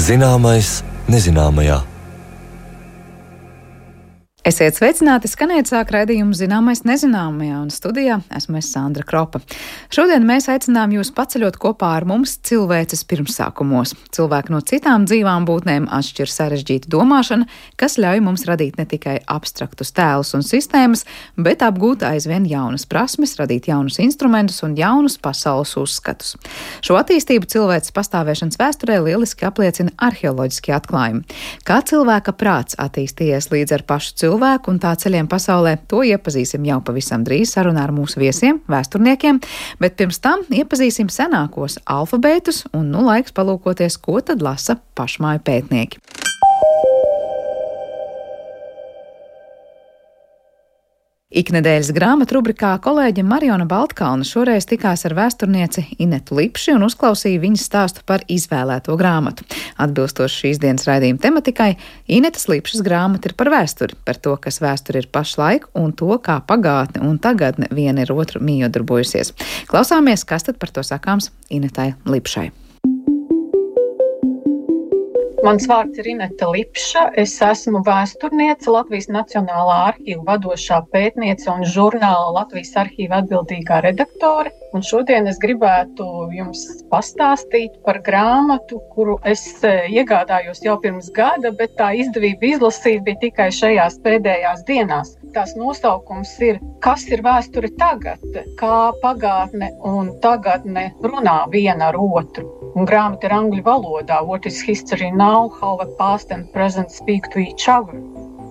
Zināmais nezināmajā. Esiet sveicināti, skanēt sāk raidījumu Zināmais nezināmajā, un studijā esmu es Sandra Kropa. Šodien mēs aicinām jūs paceļot kopā ar mums cilvēces pirmsākumos. Cilvēki no citām dzīvām būtnēm atšķir sarežģīta domāšana, kas ļauj mums radīt ne tikai abstraktus tēlus un sistēmas, bet apgūt aizvien jaunas prasmes, radīt jaunus instrumentus un jaunus pasaules uzskatus. Šo attīstību cilvēces pastāvēšanas vēsturē lieliski apliecina arheoloģiskie atklājumi. Kā cilvēka prāts attīstījies līdz ar pašu cilvēku un tā ceļiem pasaulē, to iepazīsim jau pavisam drīz sarunā ar mūsu viesiem, vēsturniekiem, bet pirms tam iepazīsim senākos alfabētus un laiks palūkoties, ko tad lasa pašmāju pētnieki. Iknedēļas grāmatu rubrikā kolēģe Mariona Baltkalna šoreiz tikās ar vēsturnieci Inetu Lipši un uzklausīja viņas stāstu par izvēlēto grāmatu. Atbilstoši šīs dienas raidījuma tematikai, Inetas Lipšas grāmata ir par vēsturi, par to, kas vēsture ir pašlaik un to, kā pagātne un tagadne viena ir otru mījodarbojusies. Klausāmies, kas tad par to sakāms Inetai Lipšai. Mans vārds ir Ineta Lipša, es esmu vēsturniece, Latvijas Nacionālā arhīva vadošā pētniece un žurnāla Latvijas arhīva atbildīgā redaktore. Un šodien es gribētu jums pastāstīt par grāmatu, kuru es iegādājos jau pirms gada, bet tā izdevība izlasīt bija tikai šajās pēdējās dienās. Tās nosaukums ir Kas ir vēsture tagad? Kā pagātne un tagadne runā viena ar otru. Un grāmata ir angļu valodā. What is history now? How the past and present speak to each other.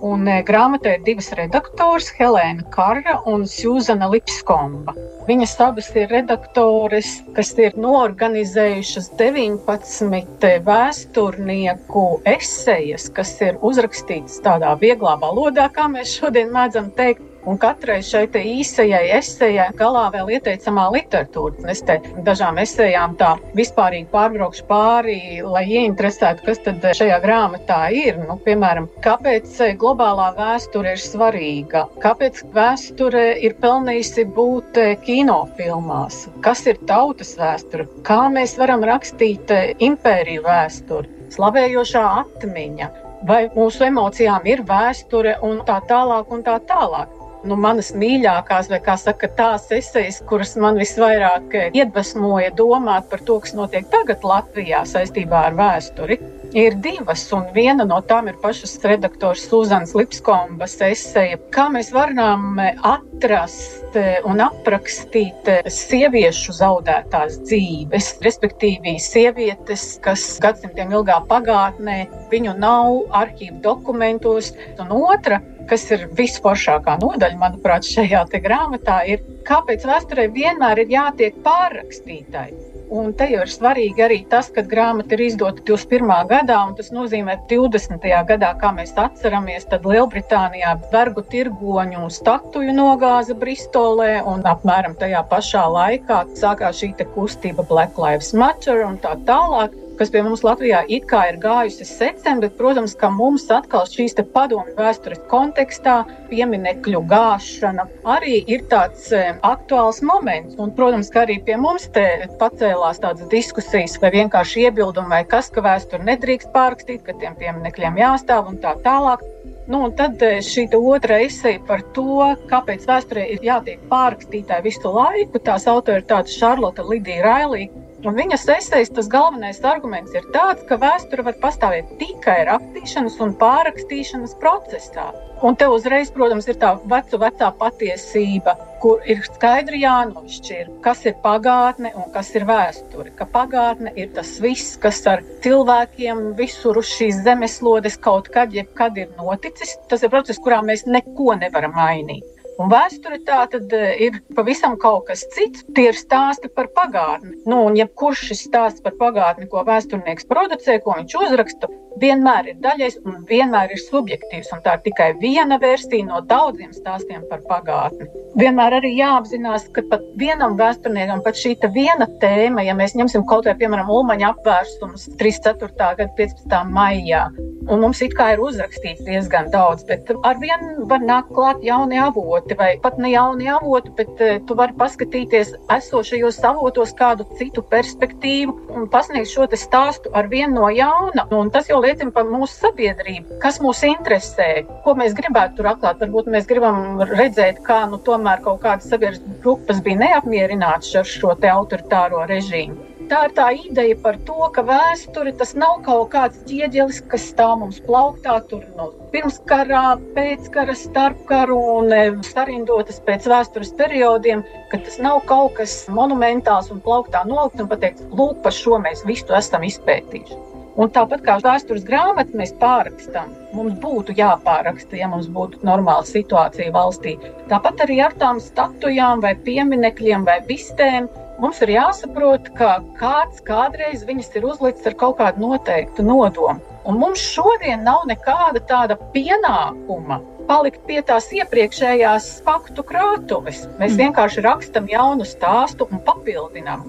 Un grāmatā ir divas redaktoras, Helēna Karra un Sjūzana Lipskomba. Viņas abas ir redaktores, kas ir noorganizējušas 19 vēsturnieku esejas, kas ir uzrakstītas tādā vieglā valodā, kā mēs šodien mēdzam teikt. Un katrai šai te īsajai esejai galā vēl ieteicamā literatūra. Es te dažām esejām tā vispārīgi pārbraukšu pāri, lai ieinteresētu, kas tad šajā grāmatā ir. Piemēram, kāpēc globālā vēsture ir svarīga? Kāpēc vēsture ir pelnījusi būt kinofilmās? Kas ir tautas vēsture? Kā mēs varam rakstīt impēriju vēsturi? Slavējošā atmiņa? Vai mūsu emocijām ir vēsture un tā tālāk un tā tālāk? Manas mīļākās, vai kā saka, tās esejas, kuras man visvairāk iedvesmoja domāt par to, kas notiek tagad Latvijā saistībā ar vēsturi, ir divas, un viena no tām ir pašas redaktors Sjūzanas Lipskombas eseja. Kā mēs varam atrast un aprakstīt sieviešu zaudētās dzīves, respektīvi sievietes, kas gadsimtiem ilgā pagātnē, viņu nav arhīvu dokumentos, un otra, kas ir visforšākā nodaļa, manuprāt, šajā te grāmatā, ir, kāpēc vēsturē vienmēr ir jātiek pārrakstītai. Un te jau ir svarīgi arī tas, ka grāmata ir izdota 21. gadā, un tas nozīmē 20. gadā, kā mēs atceramies, tad Lielbritānijā vergu tirgoņu statuju nogāza Bristolē, un apmēram tajā pašā laikā sākās šī te kustība Black Lives Matter un tā tālāk, kas pie mums Latvijā it kā ir gājusi secen, bet, protams, ka mums atkal šīs te padomju vēstures kontekstā pieminekļu gāšana arī ir tāds aktuāls moments. Un, protams, ka arī pie mums te pacēlās tādas diskusijas vai vienkārši iebildumi vai kas, ka vēsturi nedrīkst pārrakstīt, ka tiem pieminekļiem jāstāv un tā tālāk. Un tad šī otra eseja par to, kāpēc vēsturē ir jātiek pārrakstītāji visu laiku, tās autori ir tāda Šarlota Lidija Railī. Un viņas esejas tas galvenais arguments ir tāds, ka vēsture var pastāvēt tikai rakstīšanas un pārrakstīšanas procesā. Un te uzreiz, protams, ir tā vecā patiesība, kur ir skaidri jānošķir, kas ir pagātne un kas ir vēsture. Ka pagātne ir tas viss, kas ar cilvēkiem visur uz šīs zemeslodes kaut kad, jebkad ir noticis. Tas ir process, kurā mēs neko nevaram mainīt. Un vēsture tā tad ir pavisam kaut kas cits, tie ir stāsti par pagātni. Un jebkurš šis stāsts par pagātni, ko vēsturnieks producē, ko viņš uzraksta, vienmēr ir daļais un vienmēr ir subjektīvs. Un tā ir tikai viena versija no daudziem stāstiem par pagātni. Vienmēr arī jāapzinās, ka pat vienam vēsturniekam pat šī viena tēma, ja mēs ņemsim kaut vai, piemēram, Ulmaņa apvērsums 34. gada 15. maijā, Un mums it kā ir uzrakstīts diezgan daudz, bet arvien var nākt klāt jauni avoti, vai pat ne jauni avoti, bet tu vari paskatīties esošajos avotos kādu citu perspektīvu un pasniegt šo te stāstu arvien no jauna. Un tas jau liecina par mūsu sabiedrību, kas mūs interesē, ko mēs gribētu tur atklāt. Varbūt mēs gribam redzēt, kā tomēr kaut kādas sabiedrības grupas bija neapmierinātas ar šo te autoritāro režīmu. Tā ir tā ideja par to, ka vēsture tas nav kaut kāds ķieģelis, kas stāv mums plauktā tur no pirmskarā, pēckara, starpkaru un sarindotas pēc vēstures periodiem, ka tas nav kaut kas monumentāls un plauktā nolikt un pateikt, lūk, par šo mēs visu esam izpētījuši. Un tāpat kā vēstures grāmatu mēs pārrakstam, mums būtu jāpāraksta, ja mums būtu normāla situācija valstī. Tāpat arī ar tām statujām vai pieminekļiem vai bistēm mums ir jāsaprot, ka kāds kādreiz viņas ir uzlicis ar kaut kādu noteiktu nodomu. Un mums šodien nav nekāda tāda pienākuma palikt pie tās iepriekšējās faktu krātuves. Mēs vienkārši rakstam jaunu stāstu un papildinām.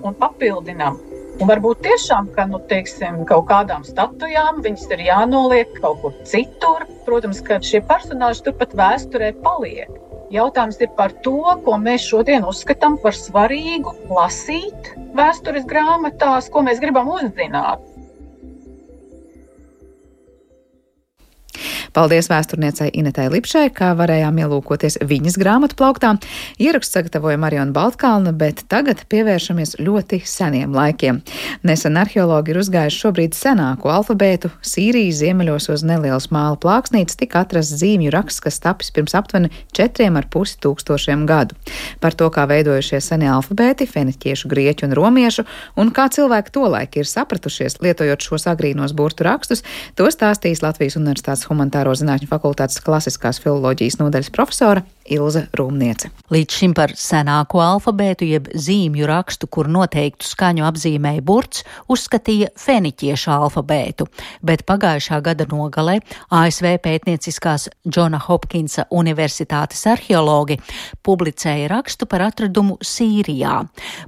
Un varbūt tiešām, ka, kaut kādām statujām viņas ir jānoliek kaut kur citur. Protams, ka šie personāži turpat vēsturē paliek. Jautājums ir par to, ko mēs šodien uzskatām par svarīgu lasīt vēstures grāmatās, ko mēs gribam uzzināt. Paldies vēsturniecei Inetai Lipšai, kā varējām ielūkoties viņas grāmatu plauktā. Ierakstu sagatavoja Mariona Baltkalna, bet tagad pievēršamies ļoti seniem laikiem. Nesen arheologi ir uzgājuši šobrīd senāko alfabētu. Sīrijas ziemeļos uz nelielas māla plāksnītes tika atrasts zīmju raksts, kas tapis pirms aptuveni 4,5 tūkstošiem gadu. Par to, kā veidojušies senie alfabēti, feniķiešu, grieķu un romiešu, un kā cilvēki tolaik ir sapratušies, lietojot šos agrīnos burtu rakstus, to stāstīs Latvijas Universitātes Humanitāro zinātņu fakultātes klasiskās filoloģijas nodaļas profesora Ilze Rūmniece. Līdz šim par senāko alfabētu jeb zīmju rakstu, kur noteiktu skaņu apzīmēja burts, uzskatīja feniķiešu alfabētu, bet pagājušā gada nogalē ASV pētnieciskās Džona Hopkinsa universitātes arheologi publicēja rakstu par atradumu Sīrijā,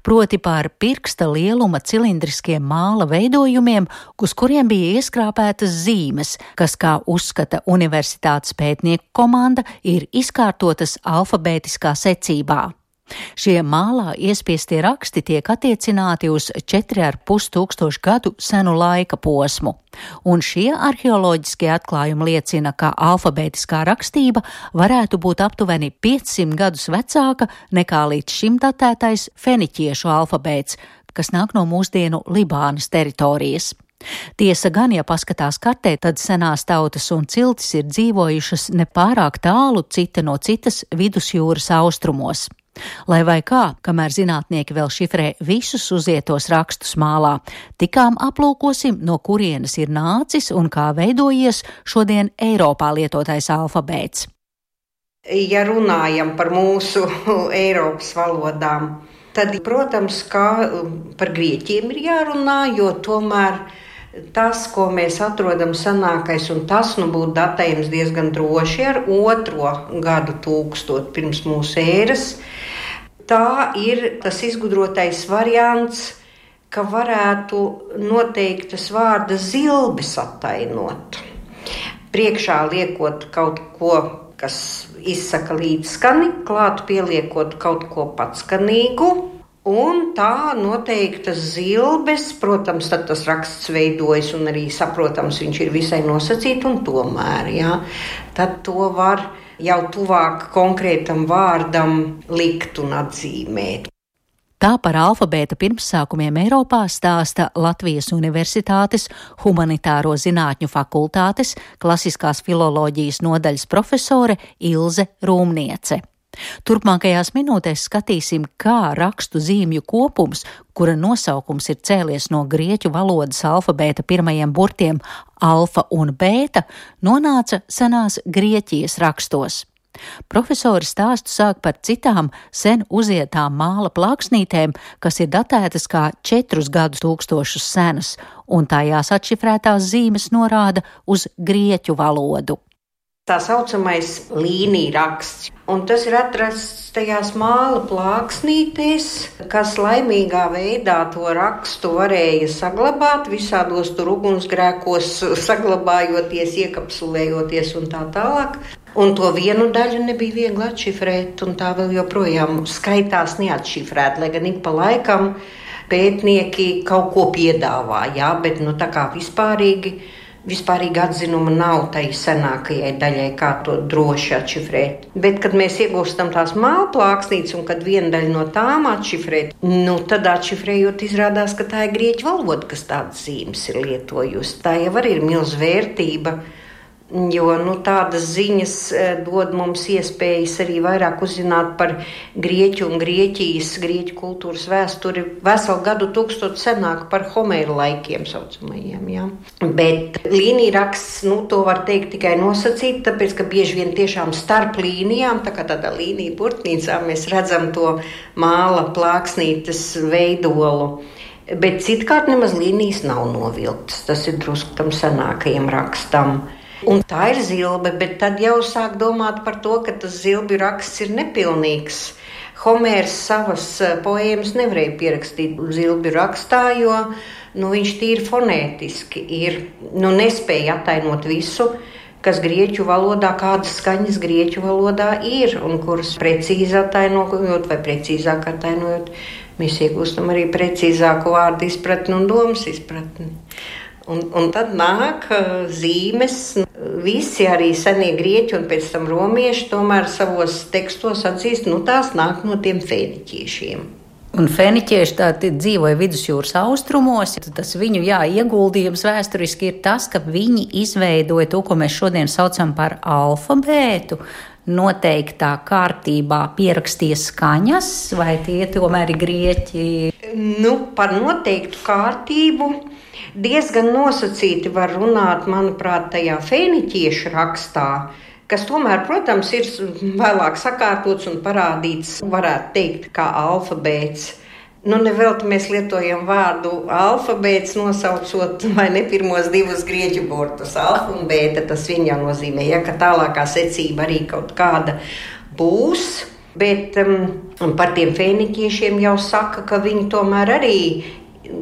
proti par pirksta lieluma cilindriskiem māla veidojumiem, uz kuriem bija ieskrāpētas zīmes, kas, kā uzskata universitātes pētnieku komanda, ir izkārtotas alfabētiskā secībā. Šie mālā iespiestie raksti tiek attiecināti uz 4,5 tūkstošu gadu senu laika posmu, un šie arheoloģiskie atklājumi liecina, ka alfabētiskā rakstība varētu būt aptuveni 500 gadus vecāka nekā līdz šim datētais feniķiešu alfabēts, kas nāk no mūsdienu Libānas teritorijas. Tiesa gan, ja paskatās kartē, tad senās tautas un ciltis ir dzīvojušas nepārāk tālu cita no citas vidusjūras austrumos. Lai vai kā, kamēr zinātnieki vēl šifrē visus uzietos rakstus mālā, tikām aplūkosim, no kurienes ir nācis un kā veidojies šodien Eiropā lietotais alfabēts. Ja runājam par mūsu Eiropas valodām, tad, protams, kā par grieķiem ir jārunā, jo tomēr tas, ko mēs atrodam senākais, un tas būtu datējams diezgan droši ar 2. gadu tūkstotu pirms mūsu ēras, tā ir tas izgudrotais variants, ka varētu noteiktas vārda zilbes attainot. Priekšā liekot kaut ko, kas izsaka līdzskani, klāt pieliekot kaut ko patskanīgu, un tā noteiktas zilbes, protams, tad tas raksts veidojas un arī saprotams, viņš ir visai nosacīts, un tomēr, tad to var jau tuvāk konkrētam vārdam likt un atzīmēt. Tā par alfabēta pirmsākumiem Eiropā stāsta Latvijas Universitātes Humanitāro zinātņu fakultātes klasiskās filoloģijas nodaļas profesore Ilze Rūmniece. Turpmākajās minūtēs skatīsim, kā rakstu zīmju kopums, kura nosaukums ir cēlies no grieķu valodas alfabēta pirmajiem burtiem alfa un bēta, nonāca senās Grieķijas rakstos. Profesori stāstu sāk par citām sen uzietām māla plāksnītēm, kas ir datētas kā 4 gadu tūkstošus senas, un tajās atšifrētās zīmes norāda uz grieķu valodu. tā saucamais līnija raksts. Un tas ir atrasts tajās māla plāksnītēs, kas laimīgā veidā to rakstu varēja saglabāt, visādos tur ugunsgrēkos saglabājoties, iekapsulējoties un tā tālāk. Un to vienu daļu nebija viegli atšifrēt, un tā vēl joprojām skaitās neatšifrēt, lai gan ik pa laikam pētnieki kaut ko piedāvā, jā, bet tā kā vispārīgi atzinuma nav tai senākajai daļai, kā to droši atšifrēt. Bet, kad mēs iegūstam tās māla plāksnītes un kad viena daļa no tām atšifrēt, tad atšifrējot izrādās, ka tā ir grieķu valoda, kas tādas zīmes ir lietojusi. Tā jau arī ir milz vērtība, jo tādas ziņas dod mums iespējas arī vairāk uzzināt par Grieķu un Grieķu kultūras vēsturi veselu gadu tūkstotu senāk par Homēra laikiem saucamajiem. Ja? Bet līnija raksts, to var teikt tikai nosacīt, tāpēc, ka bieži vien tiešām starp līnijām, tā kā tādā līnija burtnīcā, mēs redzam to māla plāksnītes veidolu. Bet citkārt nemaz līnijas nav novilktas. Tas ir drusku tam senākajam rakstam. Un tā ir zilbe, bet tad jau sāk domāt par to, ka tas zilbju raksts ir nepilnīgs. Homērs savas poēmas nevarēja pierakstīt zilbju rakstā, jo viņš tīri fonētiski nespēja attainot visu, kas grieķu valodā, kādas skaņas grieķu valodā ir, un kuras precīzi attainojot vai precīzāk attainojot, mēs iegūstam arī precīzāku vārdu izpratni un domas izpratni. Un tad nāk zīmes, visi arī senie grieķi un pēc tam romieši tomēr savos tekstos atzīst, tās nāk no tiem fēniķiešiem. Un fēniķieši tādi dzīvoja vidusjūras austrumos, tas viņu ieguldījums vēsturiski ir tas, ka viņi izveidoja to, ko mēs šodien saucam par alfabētu, noteiktā kārtībā pierakstīja skaņas, vai tie tomēr ir grieķi? Par noteiktu kārtību diezgan nosacīti var runāt, manuprāt, tajā fēniķiešu rakstā, kas tomēr, protams, ir vēlāk sakārtots un parādīts, varētu teikt, kā alfabēts. Nevelti mēs lietojam vārdu alfabēts, nosaucot vai ne pirmos divus grieķu burtus. Alfa un bēta, tas viņa nozīmē, ka tālākā secība arī kaut kāda būs. Bet par tiem fēniķiešiem jau saka, ka viņi tomēr arī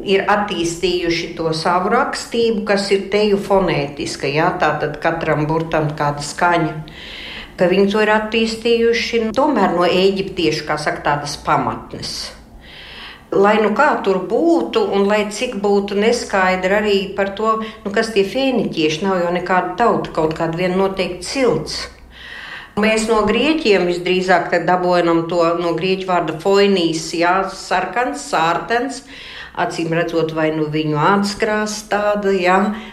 ir attīstījuši to savu rakstību, kas ir teju fonētiska, tātad katram burtam kāda skaņa, ka viņi to ir attīstījuši tomēr no ēģiptiešu, kā saka, tādas pamatnes. Lai kā tur būtu un lai cik būtu neskaidri arī par to, kas tie fēniķieši nav jau nekāda tauta, kaut kāda viena noteikti cilts. Mēs no grieķiem visdrīzāk dabojam to no grieķu vārda foinīs, sarkans, sārtens, acīm redzot, vai viņu ādskrās tāda,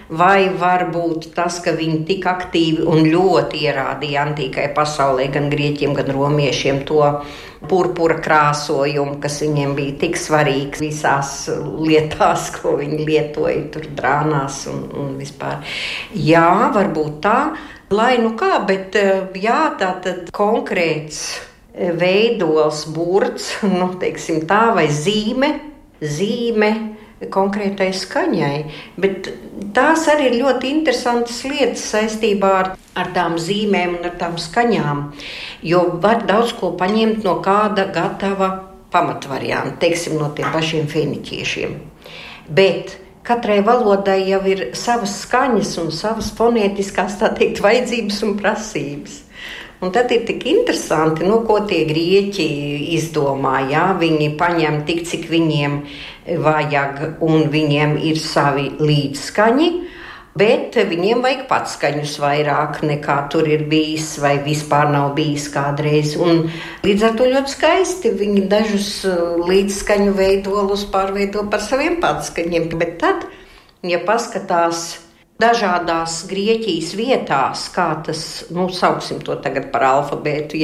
vai varbūt tas, ka viņi tik aktīvi un ļoti ierādīja antīkai pasaulē, gan grieķiem, gan romiešiem to purpura krāsojumu, kas viņiem bija tik svarīgs visās lietās, ko viņi lietoja tur drānās un vispār. Jā, varbūt tā, lai kā, bet tātad konkrēts veidols, burts, teiksim tā, vai zīme konkrētai skaņai, bet tās arī ir ļoti interesantas lietas saistībā ar tām zīmēm un ar tām skaņām, jo var daudz ko paņemt no kāda gatava pamatvarianta, teiksim, no tiem pašiem fēniķiešiem. Bet katrai valodai jau ir savas skaņas un savas fonētiskās, tā teikt, vajadzības un prasības. Un tad ir tik interesanti, ko tie grieķi izdomā. Viņi paņem tik, cik viņiem vajag, un viņiem ir savi līdzskaņi, bet viņiem vajag patskaņus vairāk nekā tur ir bijis vai vispār nav bijis kādreiz. Un līdz ar to ļoti skaisti viņi dažus līdzskaņu veidolus pārveido par saviem patskaņiem. Bet tad, ja paskatās dažādās Grieķijas vietās, kā tas, sauksim to tagad par alfabētu,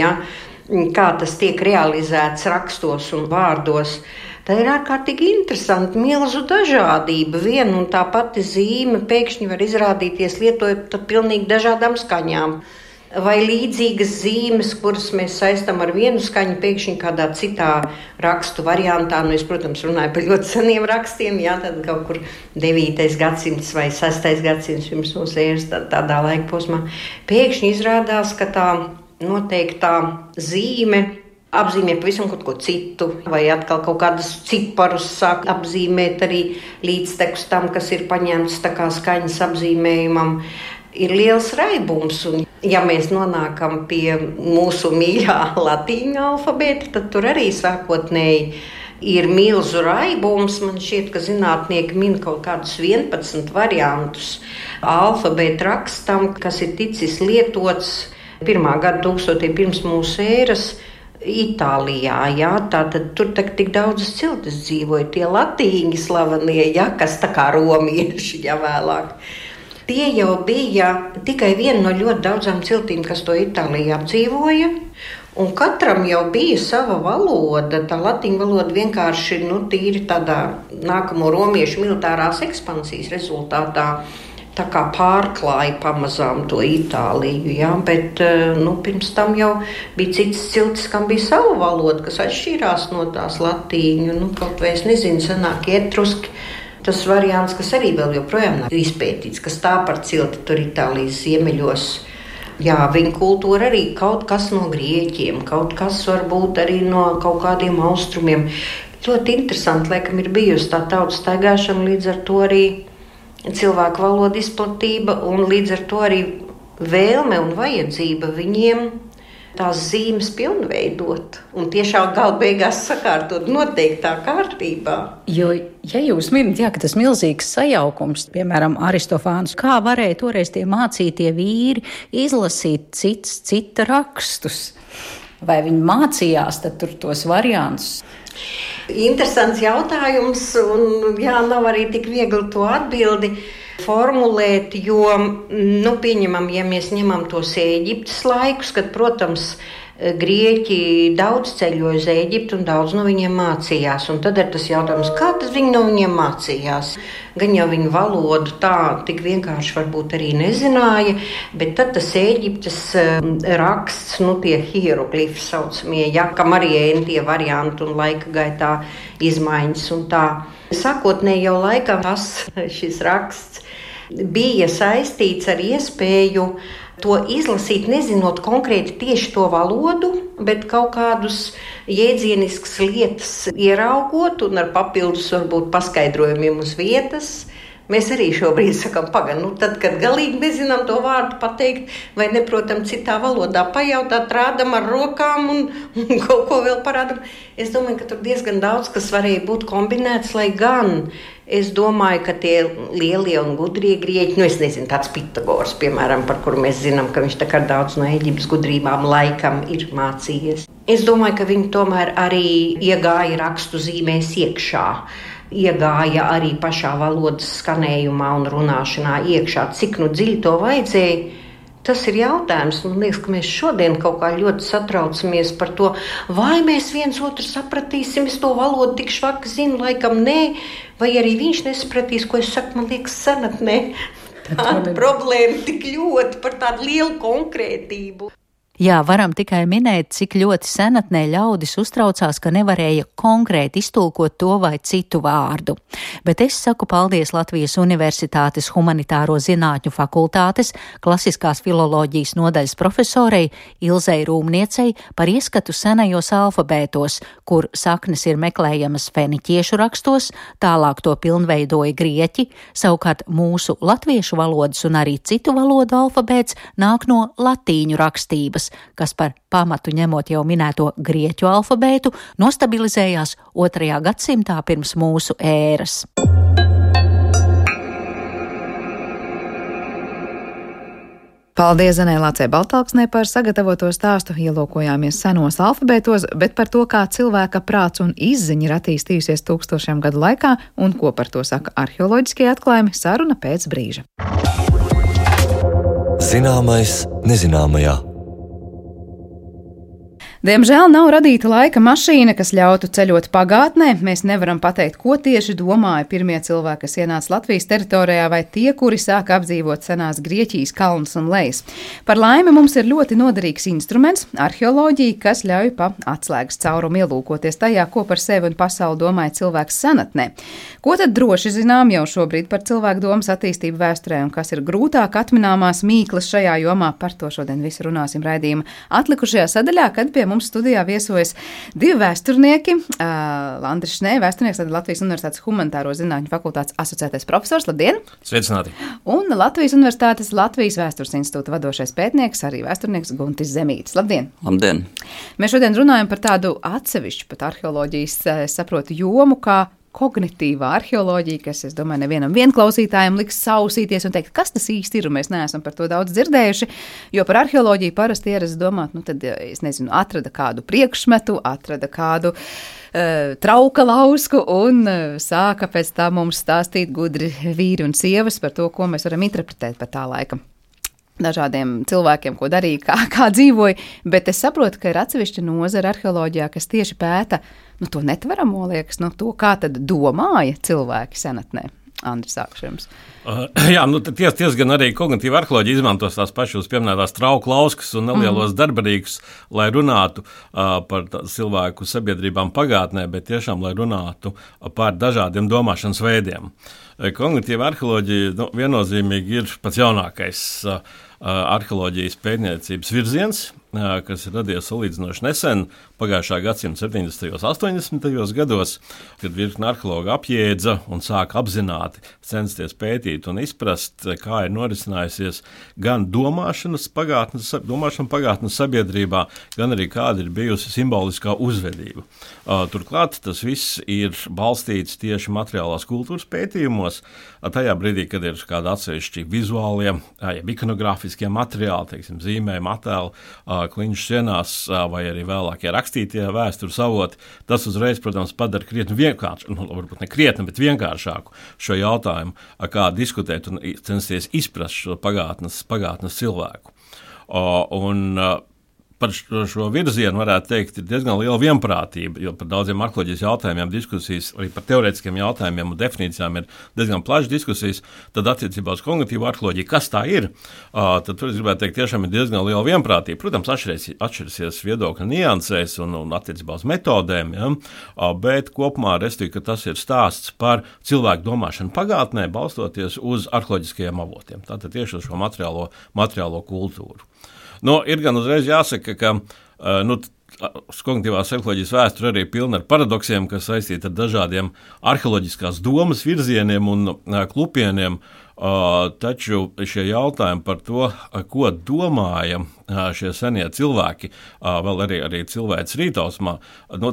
kā tas tiek realizēts rakstos un vārdos, tad ir ārkārtīgi interesanti, milzu dažādība. Viena un tā pati zīme pēkšņi var izrādīties lietojot pilnīgi dažādām skaņām. vai līdzīgas zīmes, kuras mēs saistām ar vienu skaņu, pēkšņi kādā citā rakstu variantā. Es, protams, runāju par ļoti seniem rakstiem, tad kaut kur 9. gadsimts vai 6. gadsimts pirms mūsu ēras tādā laika posmā. Pēkšņi izrādās, ka tā noteiktā zīme apzīmē pavisam kaut ko citu, vai atkal kaut kādus ciparus sāk apzīmēt arī līdztekus tam, kas ir paņemts tā kā skaņas apzīmējumam. Ir liels raibums, un ja mēs nonākam pie mūsu mīļā latīņu alfabēta, tad tur arī sākotnēji ir milzu raibums. Man šķiet, ka zinātnieki min kaut kādus 11 variantus alfabēta rakstam, kas ir ticis lietots 1. gadsimta pirms mūsu ēras Itālijā. Tātad tur tik daudzas ciltis dzīvoja, tie latīņi slavenie, kas tā kā romieši, vēlāk. Tie jau bija tikai viena no ļoti daudzām ciltīm, kas to Itālijā apdzīvoja. Un katram jau bija sava valoda. Tā latīņu valoda vienkārši tīri tādā nākamo romiešu militārās ekspansijas rezultātā tā kā pārklāja pamazām to Itāliju. Bet pirms tam jau bija citas ciltis, kam bija sava valoda, kas atšķīrās no tās latīņu. Kaut vai es nezinu, senākie etruski. Tas variants, kas arī vēl joprojām nav izpētīts, kas tā par cilti tur Itālijas ziemeļos. Viņa kultūra arī kaut kas no grieķiem, kaut kas varbūt arī no kaut kādiem austrumiem. Ļoti interesanti, laikam, ir bijusi tā tautas staigāšana, līdz ar to arī cilvēku valoda izplatība un līdz ar to arī vēlme un vajadzība viņiem tās zīmes pilnveidot un tiešām gala beigās sakārtot noteiktā kārtībā. Jo, ja jūs minat, ka tas milzīgs sajaukums, piemēram, Aristofāns, kā varēja toreiz tie mācītie vīri izlasīt cita rakstus? Vai viņi mācījās tad tur tos variantus? Interesants jautājums, un nav arī tik viegli to atbildi formulēt, jo, pieņemam, ja mēs ņemam tos Ēģiptes laikus, kad, protams, grieķi daudz ceļoja uz Ēģiptu un daudz no viņiem mācījās. Un tad ir tas jautājums, kā tad viņi no viņiem mācījās? Gan jau viņu valodu tā tik vienkārši varbūt arī nezināja, bet tad tas Ēģiptes raksts, tie hieroglifi saucamie, kam arī tie varianti un laika gaitā izmaiņas un tā. Sākotnēji jau laikam šis raksts bija saistīts ar iespēju to izlasīt, nezinot konkrēti tieši to valodu, bet kaut kādus jēdzieniskas lietas ieraugot un ar papildus varbūt paskaidrojumiem uz vietas. Mēs arī šobrīd sakam, tad, kad galīgi nezinām to vārdu pateikt, vai neprotam citā valodā pajautāt, rādam ar rokām un kaut ko vēl parādam. Es domāju, ka tur diezgan daudz, kas varēja būt kombinēts, lai gan es domāju, ka tie lielie un gudrie grieķi, es nezinu, tāds Pitagors, piemēram, par kuru mēs zinām, ka viņš tā kā daudz no Eģiptes gudrībām laikam ir mācījies. Es domāju, ka viņi tomēr arī iegāja rakstu zīmēs iekšā. Iegāja arī pašā valodas skanējumā un runāšanā iekšā. Cik dziļi to vajadzēja, tas ir jautājums. Man liekas, ka mēs šodien kaut kā ļoti satraucamies par to, vai mēs viens otru sapratīsim, es to valodu tik švaki zinu, laikam nē, vai arī viņš nesapratīs, ko es saku, man liekas, senatnē. Tāda problēma tik ļoti par tādu lielu konkrētību. Jā, varam tikai minēt, cik ļoti senatnē ļaudis uztraucās, ka nevarēja konkrēti iztulkot to vai citu vārdu. Bet es saku paldies Latvijas Universitātes Humanitāro zinātņu fakultātes klasiskās filoloģijas nodaļas profesorei Ilzei Rūmniecei par ieskatu senajos alfabētos, kur saknes ir meklējamas feniķiešu rakstos, tālāk to pilnveidoja grieķi, savukārt mūsu latviešu valodas un arī citu valodu alfabēts nāk no latīņu rakstības, kas par pamatu ņemot jau minēto grieķu alfabētu, nostabilizējās 2. gadsimtā pirms mūsu ēras. Paldies Zanē Lācei Baltalksnē par sagatavoto stāstu. Ielūkojāmies senos alfabētos, bet par to, kā cilvēka prāts un izziņa ir attīstījusies tūkstošiem gadu laikā un ko par to saka arheoloģiskie atklājumi, saruna pēc brīža. Zināmais nezināmajā. Diemžēl nav radīta laika mašīna, kas ļautu ceļot pagātnē. Mēs nevaram pateikt, ko tieši domāja pirmie cilvēki, kas ienāca Latvijas teritorijā, vai tie, kuri sāka apdzīvot senās Grieķijas kalnus un lejas. Par laimi mums ir ļoti noderīgs instruments - arheoloģija, kas ļauj pa atslēgas caurumu ielūkoties tajā, ko par sevi un pasauli domāja cilvēks senatnē. Ko tad droši zinām jau šobrīd par cilvēku domas attīstību vēsturē un kas ir grūtāk atmināmās mīklas šajā jomā? Par to šodien visu runāsim raidījuma atlikušajā sadaļā, kad pie mums studijā viesojas divi vēsturnieki. Landris Šnē, vēsturnieks, Latvijas Universitātes humanitāro zinātņu fakultātes asociētais profesors. Labdien! Sveicināti! Un Latvijas Universitātes Latvijas Vēstures institūta vadošais pētnieks, arī vēsturnieks Guntis Zemītis. Labdien! Labdien! Mēs šodien runājam par tādu atsevišķu pat arheoloģijas, saprotu, jomu, kā kognitīvā arheoloģija, kas, es domāju, nevienam vienklausītājam liks sausīties un teikt, kas tas īsti ir, un mēs neesam par to daudz dzirdējuši, jo par arheoloģiju parasti ierast domāt, tad, es nezinu, atrada kādu priekšmetu, atrada kādu trauka lausku un sāka pēc tā mums stāstīt gudri vīri un sievas par to, ko mēs varam interpretēt par tā laika dažādiem cilvēkiem, ko darīja, kā dzīvoja, bet es saprotu, ka ir atsevišķa nozara arheoloģijā, kas tieši pēta, to netveramo, liekas, to, kā tad domāja cilvēki senatnē. Andri, sākšu jums. Jā, ties gan arī kognitīva arheoloģija izmantos tās pašas pieminētās trauku lauskas un nelielos darbarīgus, lai runātu par cilvēku sabiedrībām pagātnē, bet tiešām, lai runātu par dažādiem domāšanas veidiem. Kognitīva arheoloģija viennozīmīgi ir pats jaunākais arheoloģijas pētniecības virziens, kas ir radies salīdzinoši nesen, pagājušā gadsimta 70. un 80. gados, kad virkne arheologu apjēdza un sāka apzināti censties pētīt un izprast, kā ir norisinājusies gan domāšana pagātnes sabiedrībā, gan arī kāda ir bijusi simboliskā uzvedība. Turklāt tas viss ir balstīts tieši materiālās kultūras pētījumos, tajā brīdī, kad ir kādi atsevišķi vizuālie, ikonogrāfiskie materiāli, teiksim, zīmējumi, attēli, kliņš sienās vai arī vēlākie rakstītie vēstures avoti, tas uzreiz, protams, padara krietni vienkāršu, varbūt ne krietni, bet vienkāršāku šo jautājumu, kā diskutēt un censties izprast šo pagātnes cilvēku. Par šo virzienu varētu teikt, ir diezgan liela vienprātība, jo par daudziem arheoloģijas jautājumiem diskusijas, arī par teorētiskiem jautājumiem un definīcijām ir diezgan plašas diskusijas, tad attiecībā uz kognitīvu arheoloģiju, kas tā ir, tad tur es gribētu teikt, tiešām ir diezgan liela vienprātība. Protams, atšķirsies viedokļu niansēs un attiecībā uz metodēm, ja? Bet kopumā restīvi, ka tas ir stāsts par cilvēku domāšanu pagātnē, balstoties uz arheoloģiskajiem avotiem, tātad tieši uz šo materiālo kultūru. Ir gan uzreiz jāsaka, ka kognitīvās arheoloģijas vēsture arī pilna ar paradoksiem, kas saistīti ar dažādiem arheoloģiskās domas virzieniem un klupieniem, taču šie jautājumi par to, ko domāja šie senie cilvēki, vēl arī cilvēks rītausmā,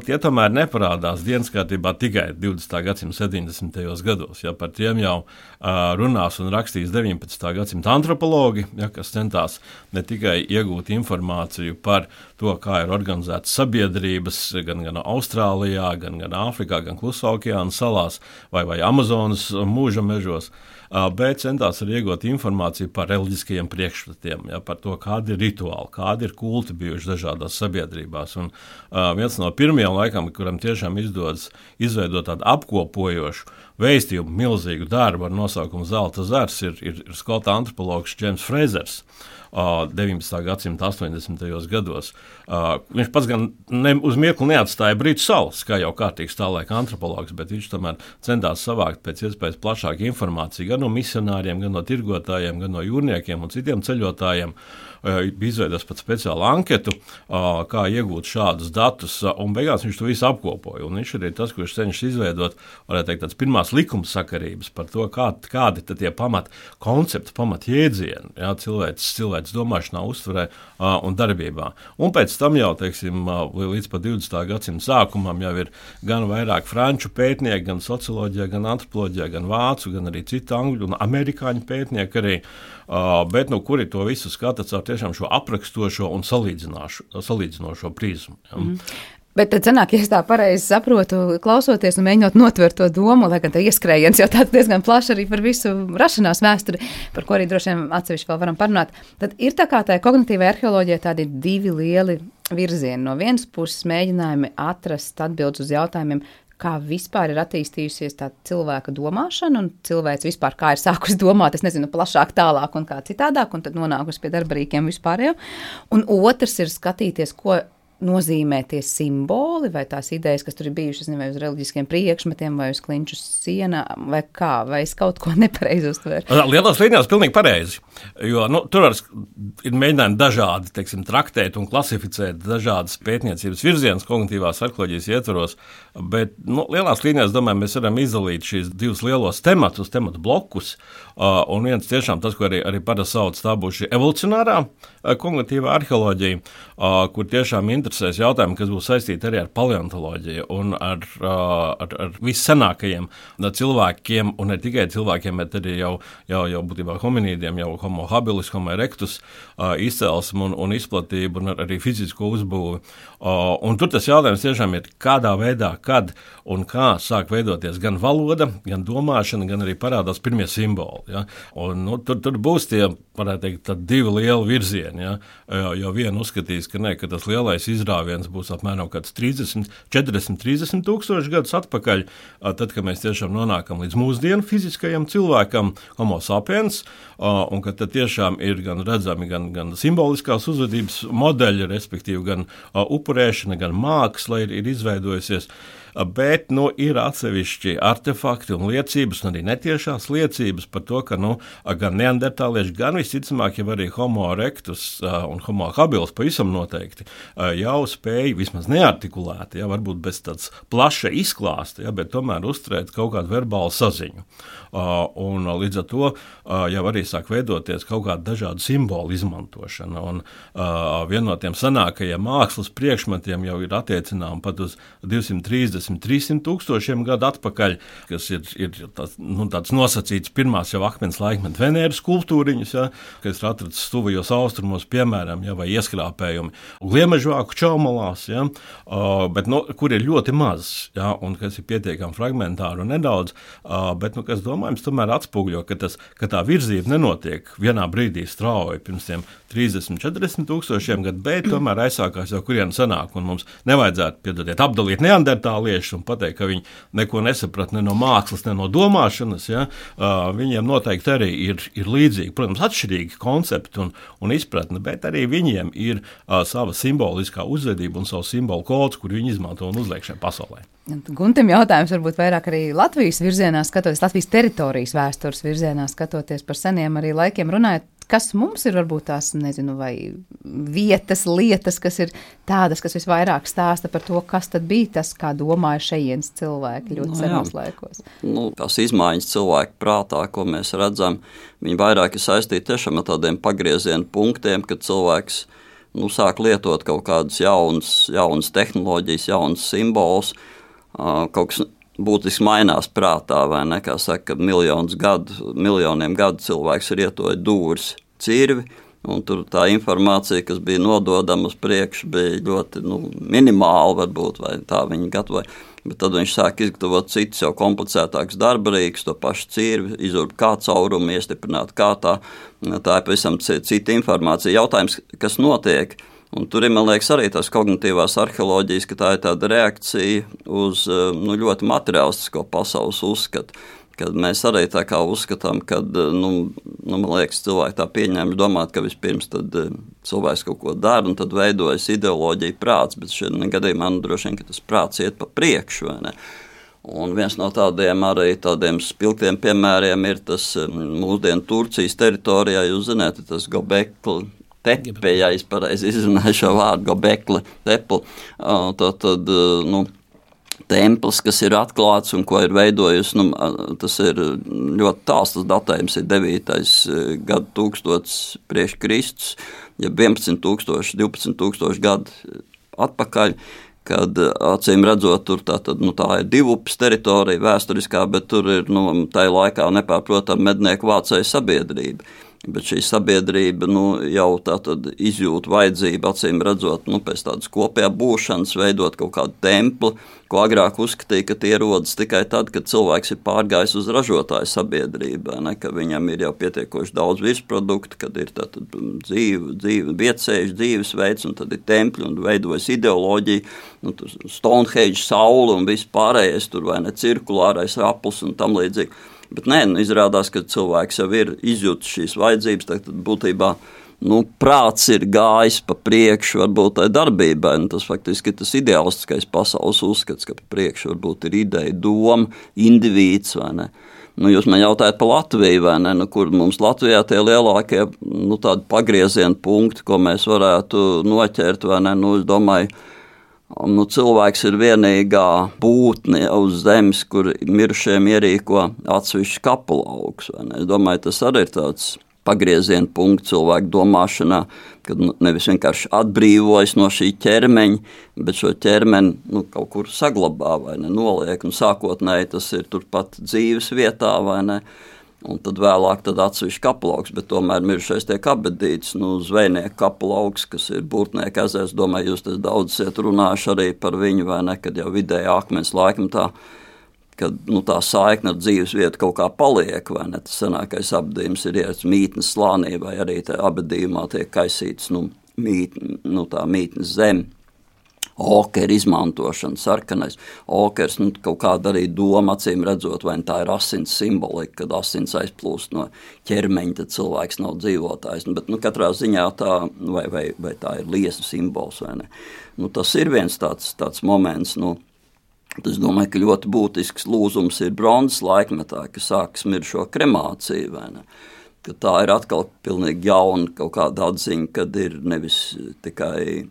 tie tomēr neparādās dienas kārtībā tikai 20. gadsimta 70. gados. Ja, par tiem jau runās un rakstīs 19. gadsimta antropologi, ja, kas centās ne tikai iegūt informāciju par to, kā ir organizētas sabiedrības gan Austrālijā, gan Āfrikā, gan Klusā okeāna salās vai Amazonas mūža mežos, bet centās arī iegūt informāciju par reliģiskajiem priekšstatiem, ja, par to, kādi ir rituāli, kādi ir kulti bijuši dažādās sabiedrībās. Un viens no pirmajiem laikam, kuram tiešām izdodas izveidot tādu apkopojošu vēstījumu, milzīgu darbu ar nosaukumu Zelta zars, ir skotu antropologs Džeims Frēzers. 19. gadsimta 80. gados. Viņš pats gan uz mirkli neatstāja Britu salas, kā jau kārtīgs tā laika antropologs, bet viņš tomēr centās savākt pēc iespējas plašāku informāciju gan no misionāriem, gan no tirgotājiem, gan no jūrniekiem un citiem ceļotājiem. Bija izveidojis pat speciālu anketu, kā iegūt šādus datus, un beigās viņš to visu apkopoja. Un viņš arī tas, kurš cenšas izveidot, varētu teikt, tāds pirmās likumsakarības par to, kādi tad tie pamat koncepti, pamat jēdzieni, ja, cilvēks domāšanā, uztverē un darbībā. Un pēc tam jau, teiksim, līdz pat 20. gadsimta sākumam jau ir gan vairāk franču pētnieki, gan socioloģijā, gan antropoloģijā, gan vācu, gan arī citu angļu un amerikāņu pētnieki arī, bet kuri to visu skata caur tiešām šo aprakstošo un salīdzinošo prizmu. Ja. Bet tad sanāk, ja es tā pareizi saprotu, klausoties un mēģinot notvert to domu, lai gan tā ieskrējiens jau tāds diezgan plaši arī par visu rašanās vēsturi, par ko arī droši vien atsevišķi vēl varam parunāt, tad ir tā kā tā kognitīvai arheoloģijai tādi divi lieli virzieni. No vienas puses mēģinājumi atrast atbildes uz jautājumiem, kā vispār ir attīstījusies tā cilvēka domāšana un cilvēks vispār kā ir sākusi domāt, es nezinu, plašāk, tālāk un kā citādāk, un tad nonākusi pie darba rīkiem vispārējo. Un otrs ir skatīties, ko nozīmē tie simboli vai tās idejas, kas tur ir bijušas, vai uz reliģiskiem priekšmetiem, vai uz klinču sienām, vai kā, vai es kaut ko nepareizi uztveru. Lielās līnijās pilnīgi pareizi, jo tur ir mēģinājumi dažādi, teiksim, traktēt un klasificēt dažādas pētniecības virzienas kognitīvās arheoloģijas ietvaros, bet lielās līnijās, domāju, mēs varam izdalīt šīs divus lielos tematu blokus, un viens tiešām tas, ko arī parasti sauc, tā būs šī evolucionārā kognitīvā arheoloģija, kur tiešām interesēs jautājumi, kas būs saistīti arī ar paleontoloģiju un ar vissenākajiem cilvēkiem, un ne tikai cilvēkiem, bet arī jau būtībā hominīdiem, jau homo habilis, homo erectus izcelsmu un izplatību un arī fizisko uzbūvi. Un tur tas jautājums tiešām ir, kādā veidā, kad un kā sāk veidoties gan valoda, gan domāšana, gan arī parādās pirmie simboli. Ja? Un, tur būs tie, varētu teikt, divi lieli virzieni. Ja? Jo viena uzskatīs, ka tas lielais izrāviens būs apmēram 40, 30 tūkstoši gadus atpakaļ, tad, kad mēs tiešām nonākam līdz mūsdienu fiziskajam cilvēkam, homo sapiens, un ka tad tiešām ir gan redzami gan simboliskās uzvedības modeļi, respektīvi gan upurēšana, gan māksla ir izveidojusies. Bet ir atsevišķi artefakti un liecības, un arī netiešās liecības par to, ka gan neandertālieši, gan visticamāk, jau arī homo erectus un homo habilis pavisam noteikti jau spēja vismaz neartikulēti, varbūt bez tāds plaša izklāsta, bet tomēr uzturēt kaut kādu verbālu saziņu. Un līdz ar to jau arī sāk veidoties kaut kāda dažādu simbolu izmantošana. Un viena no tiem senākajiem mākslas priekšmetiem jau ir attiecinām pat uz 230-300 tūkstošiem gadu atpakaļ, kas ir tāds nosacīts pirmās jau akmens laikmeta Venēras skulptūriņas, kas ir atrasts tuvajos austrumos, piemēram, vai ieskrāpējumi gliemežvāku čaumalās, bet kur ir ļoti maz, un kas ir pietiekami fragmentāri un nedaudz, bet kas domājams tomēr atspūgļo, ka tā virzība nenotiek vienā brīdī strauji pirms tiem 30-40 tūkstošiem gadu, bet tomēr aizsākās jau kurien sanāk, un mums nevajadzētu apdalīt neandertālieši un pateikt, ka viņi neko nesaprat ne no mākslas, ne no domāšanas. Viņiem noteikti arī ir līdzīgi, protams, atšķirīgi koncepti un izpratne, bet arī viņiem ir sava simboliskā uzvedība un savu simbolu kods, kur viņi izmanto un uzliek šajā pasaulē. Guntim jautājums varbūt vairāk arī Latvijas virzienā skatoties, Latvijas teritorijas vēstures virzienā skatoties par seniem arī laikiem runājot, kas mums ir varbūt tās, nezinu, vai vietas, lietas, kas ir tādas, kas visvairāk stāsta par to, kas tad bija tas, kā domāja šejienes cilvēki ļoti senos laikos. Tās izmaiņas cilvēku prātā, ko mēs redzam, viņi vairāk ir saistīti tiešām ar tādiem pagriezienu punktiem, kad cilvēks sāk lietot kaut kādas jaunas tehnoloģijas, jaunas simbolus, kaut kas būtiski mainās prātā, vai ne, kā saka, miljoniem gadu cilvēks ir ietojis dūris cirvi, un tur tā informācija, kas bija nododama uz priekšu, bija ļoti minimāla varbūt, vai tā viņi gatavoja, bet tad viņš sāk izgatavot citus jau komplicētākus darbarīgus, to pašu cirvi, izurbt kā caurumu, iestiprināt kā tā ir pavisam cita informācija. Jautājums, kas notiek? Un tur ir, man liekas, arī tās kognitīvās arheoloģijas, ka tā ir tāda reakcija uz ļoti materiālistisko pasaules uzskatu, kad mēs arī tā kā uzskatām, kad, man liekas, cilvēki tā pieņēma domāt, ka vispirms tad cilvēks kaut ko dara un tad veidojas ideoloģija prāts, bet šeit gadījumā droši vien, ka tas prāts iet pa priekšu, vai ne? Un viens no tādiem spilgtiem piemēriem ir tas mūsdienu Turcijas teritorijā, jūs zināt, tas Gobekli tepe, ja es pareizi izrunāju šo vārdu, Gobekli tepe, tad templis, kas ir atklāts un ko ir veidojusi, tas ir ļoti tāls, tas datējums ir 9. gadu tūkstots priekš Kristus, ja 11 tūkstoši, 12 tūkstoši gadu atpakaļ, kad acīm redzot, tur tā ir divupes teritorija vēsturiskā, bet tur ir tajā laikā nepārprotam mednieku vācēju sabiedrība. Bet šī sabiedrība jau tātad izjūt vajadzību, acīm redzot, pēc tādas kopējā būšanas, veidot kaut kādu templi, ko agrāk uzskatīja, ka tie rodas tikai tad, kad cilvēks ir pārgājis uz ražotāju sabiedrībā, ka viņam ir jau pietiekoši daudz virsproduktu, kad ir tātad dzīve, vietsēžu dzīvesveids, un tad ir templi, un veidojas ideoloģija, Stonehenge, saule un viss pārējais, tur vai ne cirkulārais aplis un tam līdzīgi. Bet izrādās, ka cilvēks jau ir izjūtis šīs vajadzības, tad būtībā prāts ir gājis pa priekšu varbūt tai darbībai. Tas faktiski ir tas ideālistiskais pasaules uzskats, ka pa priekšu varbūt ir ideja, doma, indivīds vai ne. Jūs man jautājat par Latviju, vai ne, kur mums Latvijā tie lielākie tādi pagrieziena punkti, ko mēs varētu noķert, vai ne, es domāju, cilvēks ir vienīgā būtne uz zemes, kur mirušiem ierīko atsevišķi kapulauks. Es domāju, tas arī ir tāds pagrieziena punkts cilvēku domāšanā, kad nevis vienkārši atbrīvojas no šī ķermeņa, bet šo ķermeni kaut kur saglabā vai ne, noliek, un sākotnēji tas ir turpat dzīves vietā vai ne, un tad vēlāk tad atsevišķi kapulauks, bet tomēr mirušais tiek apbedīts, zvejnieku kapulauks, kas ir Burtnieku ezers, domāju, jūs tas daudz esat runājuši arī par viņu, vai ne, kad jau vidēji akmens laikmetā, kad tā saikne ar dzīves vietu kaut kā paliek, vai ne, tas senākais apbedījums ir ierats mītnes slānī, vai arī tā apbedījumā tiek kaisīts, tā mītnes zeme. Okera izmantošana, sarkanais okers, kaut kāda arī doma, acīm redzot, vai tā ir asins simbolika, kad asins aizplūst no ķermeņa, tad cilvēks nav dzīvotājs, bet katrā ziņā tā, vai tā ir liesmu simbols, vai ne. Tas ir viens tāds moments, es domāju, ka ļoti būtisks lūzums ir bronzas laikmetā, ka sākas mirušo kremāciju, vai ne. Ka tā ir atkal pilnīgi jauna kaut kāda atziņa, kad ir nevis tikai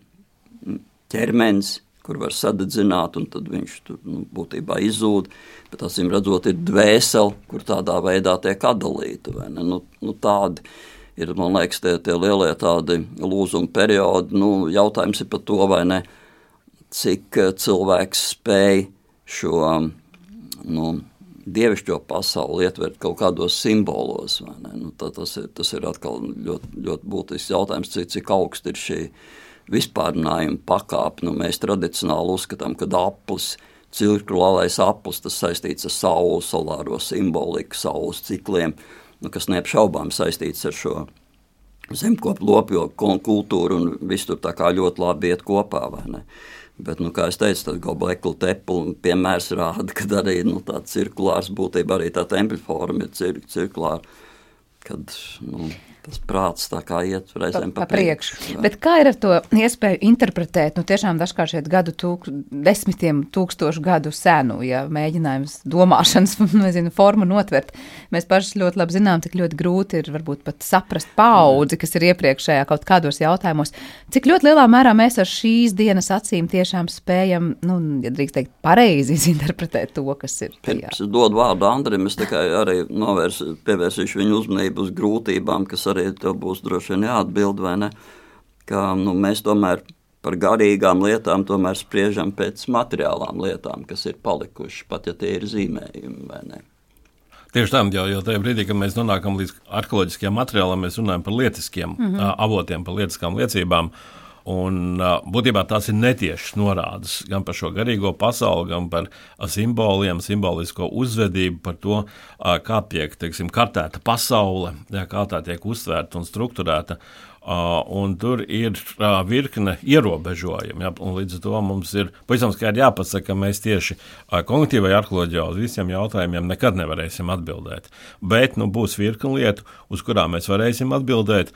ķermenis, kur var sadedzināt, un tad viņš tur būtībā izzūd, bet acīm redzot ir dvēsele, kur tādā veidā tiek atdalīta. Vai ne? Tādi ir, man liekas, tie lielie tādi lūzuma periodi. Jautājums ir par to, vai ne, cik cilvēks spēj šo dievišķo pasauli ietvert kaut kādos simbolos. Vai ne? Tas ir atkal ļoti, ļoti būtisks jautājums, cik augsts ir šī vispārinājuma pakāpe. Mēs tradicionāli uzskatām, ka aplis, cirkulārais aplis, tas saistīts ar sauli, solāro simboliku, saules cikliem, kas neapšaubām saistīts ar šo zemkopu lopjogu kultūru un viss tur tā kā ļoti labi iet kopā, vai ne? Bet, kā es teicu, tad Gobekli Tepe piemērs rāda, ka arī tā cirkulārs būtība, arī tā tempļforma ir cirkulāra, kad, tas prāts tā kā iet reizēm pa priekšu. Bet kā ir ar to iespēju interpretēt, tiešām dažkārt šeit desmitiem tūkstošu gadu senu, ja mēģinājums domāšanas, formu notvert. Mēs paši ļoti labi zinām, cik ļoti grūti ir varbūt pat saprast paudzi, kas ir iepriekšējā kaut kādos jautājumos. Cik ļoti lielā mērā mēs ar šīs dienas acīm tiešām spējam, ja drīkst teikt, pareizi interpretēt to, kas ir. Pirms es dodu vārdu Andrim, es tikai arī pievērsīšu viņu uzmanību uz grūtībām, kas arī tev būs droši vien jāatbild, vai ne, ka mēs tomēr par garīgām lietām tomēr spriežam pēc materiālām lietām, kas ir palikuši, pat ja tie ir zīmējumi, vai ne. Tieši tā, jo tajā brīdī, kad mēs nonākam līdz arheoloģiskajām materiālām, mēs runājam par lietiskiem avotiem, par lietiskām liecībām, un būtībā tās ir netiešas norādes gan par šo garīgo pasauli, gan par simboliem, simbolisko uzvedību, par to, kā tiek, kartēta pasaule, kā tā tiek uztvērta un strukturēta. Un tur ir virkne ierobežojumi, un līdz ar to mums ir pavisam skaidri jāpasaka, ka mēs tieši kognitīvai arheoloģijā uz visiem jautājumiem nekad nevarēsim atbildēt. Bet būs virkne lietu, uz kurām mēs varēsim atbildēt,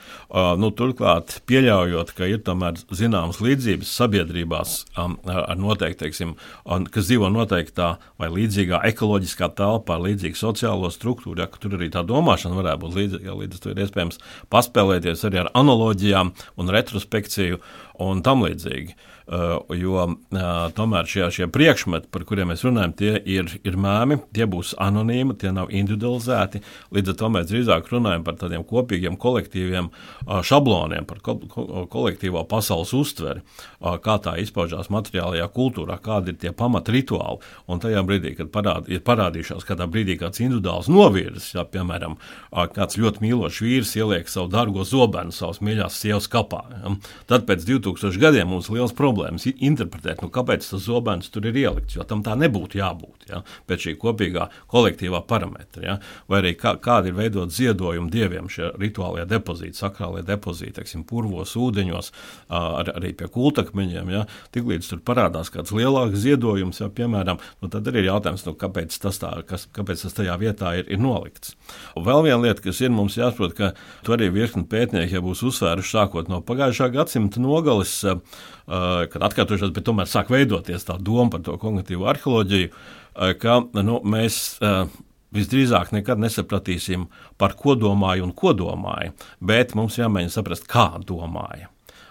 turklāt pieļaujot, ka ir tomēr zināmas līdzības sabiedrībās ar noteikti, kas dzīvo noteiktā vai līdzīgā ekoloģiskā telpā, līdzīga sociālo struktūru, ka tur arī tā domāšana varētu būt līdzīga, līdz ar to ir iespējams paspēlēties arī ar analoģijām un retrospekciju un tam līdzīgi. jo tomēr šie priekšmeti, par kuriem mēs runājam, tie ir mēmi, tie būs anonīmi, tie nav individualizēti, līdz ar to mēs drīzāk runājam par tādiem kopīgiem kolektīviem šabloniem, par kolektīvo pasaules uztveri, kā tā izpaužās materiālajā kultūrā, kādi ir tie pamat rituāli, un tajā brīdī, kad ir parādījušās kādā brīdī kāds individuāls novirzes, ja, piemēram, kāds ļoti mīlošs vīrs ieliek savu dargo zobenu savas mīļās sievas kapā, ja, tad pēc 2000 gadiem mums liels problēmas interpretēt, kāpēc tas zobens tur ir ielikts, jo tam tā nebūtu jābūt, ja, pēc šī kopīgā kolektīvā parametra, ja, vai arī kādi ir veidot ziedojumu dieviem šie rituālie depozīti, sakrālie depozīti, teiksim, purvos, ūdeņos, arī pie kultakmeņiem, ja, tiklīdz tur parādās kāds lielāks ziedojums, ja, piemēram, tad arī ir jautājums, kāpēc tas tajā vietā ir nolikts. Un vēl viena lieta, kas ir mums jāsaprot, ka tu arī virkni pētnieki jau būs uzsvēruši sākot no pagājušā gadsimta nogales, kad atkārtošās, bet tomēr sāk veidoties tā doma par to kognitīvo arheoloģiju, ka mēs visdrīzāk nekad nesapratīsim, par ko domāju un ko domāju, bet mums jāmēģina saprast, kā domāja.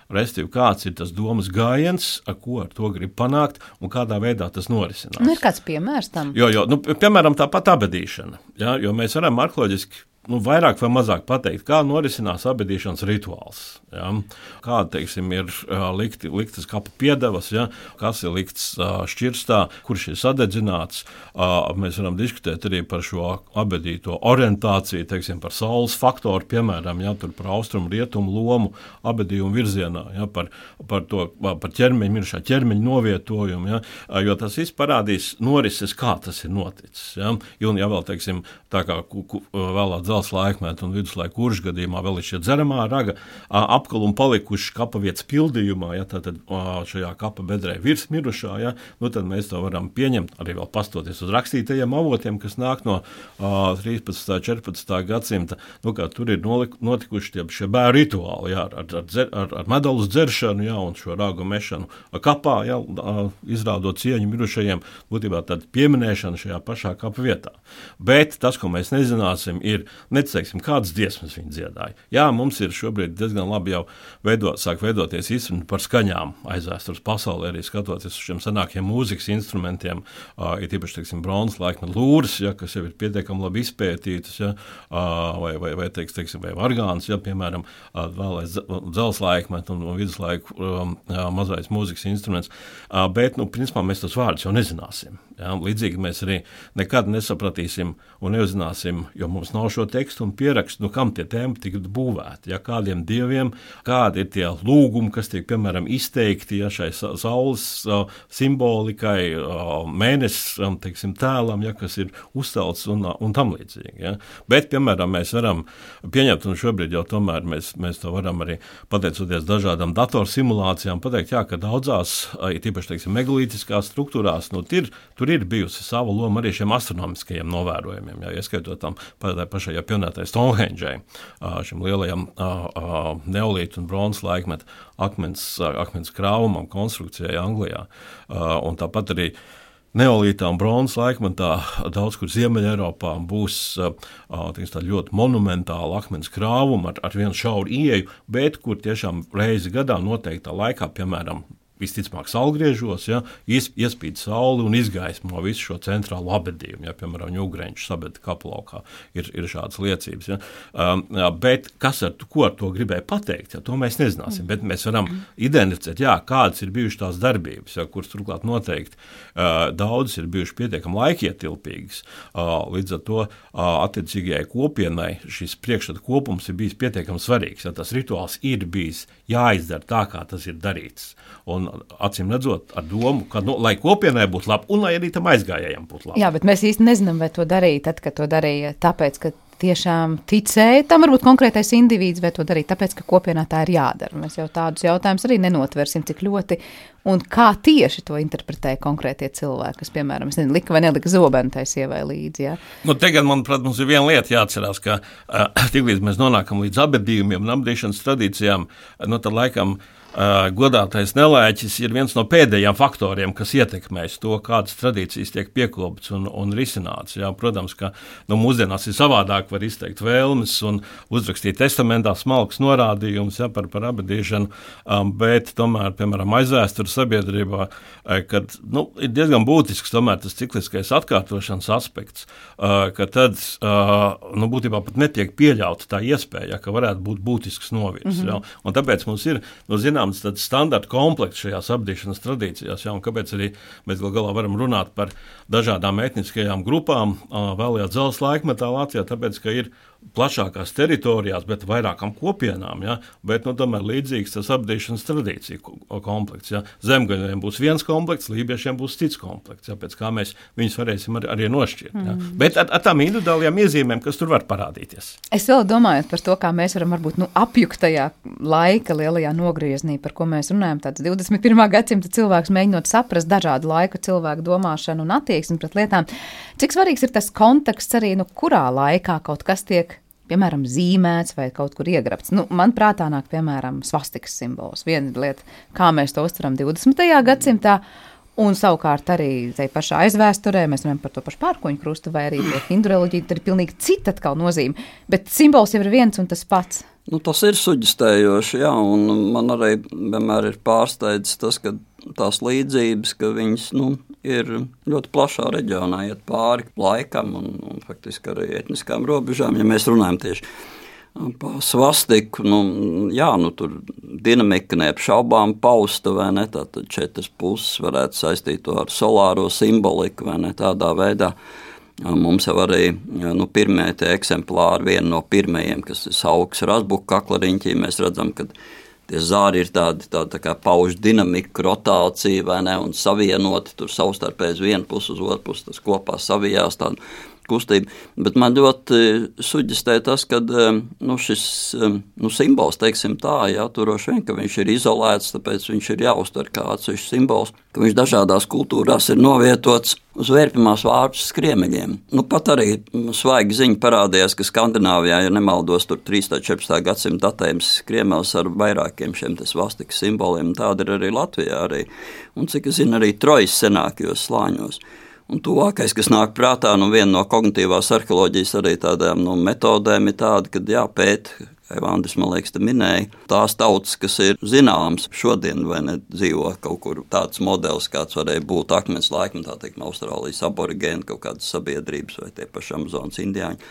Restīvi, kāds ir tas domas gājiens, ko ar to grib panākt un kādā veidā tas norisinās. Ir kāds piemērs tam? Jo, piemēram, tāpat abedīšana, ja, jo mēs varam arheoloģiski vairāk vai mazāk pateikt, kā norisinās abedīšanas rituāls. Ja? Kā, teiksim, ir liktas kapa piedevas, ja? Kas ir likts šķirstā, kurš ir sadedzināts. Mēs varam diskutēt arī par šo abedīto orientāciju, teiksim, par saules faktoru, piemēram, ja? Tur par austrumu, rietumu lomu, abedījumu virzienā, ja? par ķermeņa, mirušā ķermeņa novietojumu, ja? Jo tas viss parādīs norises, kā tas ir noticis. Ja? Un, ja vēl, teiksim, tā kā vēlā dzels laikmetu un viduslaiku Uržu gadījumā vēl ir šie dzeramā raga apkalumi palikuši kapa vietas pildījumā, ja, tad šajā kapa bedrē virs mirušā, ja, tad mēs to varam pieņemt, arī vēl pastoties uz rakstītajiem avotiem, kas nāk no 13. 14. gadsimta, kā tur ir notikuši šie bēru rituāli, ja, ar medalus dzeršanu, ja, un šo ragu mešanu kapā, ja, izrādot cieņu mirušajiem, būtībā tāda pieminēšana šajā pašā kapa vietā. Bet tas, ko mēs nezināsim, ir neteiksim, kādas dziesmas viņi dziedāja. Jā, mums ir šobrīd diezgan labi jau sāk veidoties izpratne par skaņām aizvēstures pasaulē, arī skatoties uz šiem senākiem mūzikas instrumentiem, ir īpaši, teiksim, bronzas laikmeta lūras, ja, kas jau ir pietiekami labi izpētītas, ja, vai vargāns, ja, piemēram, vēlais dzels laikmeta un viduslaiku mazais mūzikas instruments, bet, principā, mēs tos vārdus jau nezināsim. Ja, līdzīgi mēs arī nekad nesapratīsim un neuzzināsim, jo mums nav šo tekstu un pierakstu, kam tie tēmi tika būvēti, ja, kādiem dieviem, kādi ir tie lūgumi, kas tiek, piemēram, izteikti, ja, šai saules simbolikai, mēnesis, teiksim, tēlam, ja, kas ir uzcelts un tam līdzīgi. Ja. Bet, piemēram, mēs varam pieņemt, un šobrīd jau tomēr mēs to varam arī, pateicoties dažādām datorsimulācijām, pateikt, jā, ka daudzās, tīpaši, teiksim, megalītiskās struktūrās, tur ir bijusi sava loma arī šiem astronomiskajiem novērojumiem, ja, ieskaitot tam pašai jau pieminētai Stonehenge, šim lielajam neolītu un bronzas laikmeta akmens krāvumam, konstrukcijai Anglijā. Un tāpat arī neolītā un bronzas laikmetā daudz kur Ziemeļa Eiropā būs tā ļoti monumentāla akmens krāvuma ar vienu šauru ieeju, bet kur tiešām reizi gadā noteiktā laikā, piemēram, visticamāk saulgriežos, ja, iespīd sauli un izgaismo visu šo centrālo abedījumu, ja, piemēram, Ugreņš sabeda kaplaukā ir šādas liecības. Ja. Bet ko ar to gribēja pateikt, ja, to mēs nezināsim, bet mēs varam identificēt, jā, kādas ir bijušas tās darbības, ja, kuras turklāt noteikti daudzas ir bijušas pietiekami laikietilpīgas. Līdz ar to attiecīgajai kopienai šis priekšstata kopums ir bijis pietiekami svarīgs, ja tas rituāls ir bijis jāizdara tā, kā tas ir darīts. Un acīm redzot ar domu, ka, lai kopienai būtu labi, un lai arī tam aizgājējiem būtu labi. Jā, bet mēs īsti nezinām, vai to darīja tad, kad to darīja tāpēc, ka tiešām ticēja tam varbūt konkrētais indivīds, vai to darīja tāpēc, ka kopienā tā ir jādara. Mēs jau tādus jautājumus arī nenotversim, cik ļoti un kā tieši to interpretēja konkrētie cilvēki, kas, piemēram, lika vai nelika zobenu tai sievai līdzi. Ja? Te gan, manuprāt, mums ir viena lieta jāatcerās, ka tiklīdz mēs nonākam līdz abedījumiem un abedīšanas tradīcijām, tad laikam godātais nelēķis ir viens no pēdējiem faktoriem, kas ietekmēs to, kādas tradīcijas tiek piekoptas un risinātas. Jā, protams, ka mūsdienās ir savādāk, var izteikt vēlmes un uzrakstīt testamentā smalks norādījums par abadīšanu, bet tomēr, piemēram, aizvēstures sabiedrībā, kad ir diezgan būtisks tomēr tas cikliskais atkārtošanas aspekts, ka tad būtībā pat netiek pieļauta tā iespēja, ka varētu būt būtisks novirs. Jā, un tāpēc mums ir tāds standarta komplekts šajās apdīšanas tradīcijās, un kāpēc arī mēs galā varam runāt par dažādām etniskajām grupām vēlajā dzelzs laikmetā Latvijā, tāpēc, ka ir plašākās teritorijās, bet vairākām kopienām, ja, bet tomēr līdzīgs tas apdīšanas tradīciju komplekts. Ja. Zemgaļiem būs viens komplekts, lībiešiem būs cits komplekts, ja, pēc kā mēs viņus varēsim arī nošķirt. Ja. Bet ar tām individuālajām iezīmēm, kas tur var parādīties. Es vēl domāju par to, kā mēs varam varbūt apjukt tajā laika lielajā nogrieznī, par ko mēs runājam, tāds 21. gadsimta cilvēks mēģinot saprast dažādu laiku cilvēku domāšanu un attieksmi pret lietām. Cik svarīgs ir tas konteksts arī, kurā laikā kaut kas tiek, piemēram, zīmēts vai kaut kur iegrabts. Man prātā nāk, piemēram, svastikas simbols. Viena lieta, kā mēs to uztveram 20. gadsimtā, un savukārt arī tai pašā aizvēsturē, mēs runājam par to pašu pērkoņu krustu vai arī hindu reliģiju, tad ir pilnīgi cita atkal nozīme. Bet simbols jau ir viens un tas pats. Tas ir suģistējoši, jā, un man arī vienmēr ir pārsteidzis tas, ka tās līdzības, ka viņas ir ļoti plašā reģionā, iet pāri laikam un faktiski arī etniskām robežām, ja mēs runājam tieši par svastiku, tur dinamika neapšaubām pausta, vai ne, tātad 4 puses varētu saistīt to ar solāro simboliku, vai ne, tādā veidā. Mums jau arī pirmie tie eksemplāri, viena no pirmajiem, kas ir Saukas Razbuka kaklariņķī, mēs redzam, ka tie zāri ir tādi tā kā pauž dinamiku, rotāciju, vai ne, un savienoti tur savstarpēji uz vienu pusi, uz otru pusi, tas kopā savijās tādu kustību. Bet man ļoti suģistē tas, ka šis simbols, teiksim tā, jāturoši vien, ka viņš ir izolēts, tāpēc viņš ir jāuztver kā atsevišķs simbols, ka viņš dažādās kultūrās ir novietots uz vērpimās vārpus skriemeļiem. Pat arī svaigi ziņa parādījās, ka Skandināvijā, ja nemaldos, tur 13. 14. gadsimta datējums skriemels ar vairākiem šiem svastikas simboliem, tāda ir arī Latvijā arī. Un cik es zinu, arī Trojas senākajos slāņos. Un tuvākais, kas nāk prātā, viena no kognitīvās arheoloģijas arī tādām metodēm ir tāda, kad jāpēt, kā Andris, man liekas, te minēja, tās tautas, kas ir zināmas šodien vai ne dzīvo kaut kur tāds modelis, kāds varēja būt akmens laikmetā, teikam, Austrālijas aborigēni, kaut kādas sabiedrības vai tie paši Amazonas indiāņi.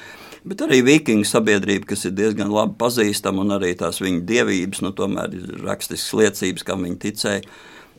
Bet arī vikingu sabiedrība, kas ir diezgan labi pazīstama, un arī tās viņu dievības, tomēr ir rakstiskas liecības, kam viņi ticēja.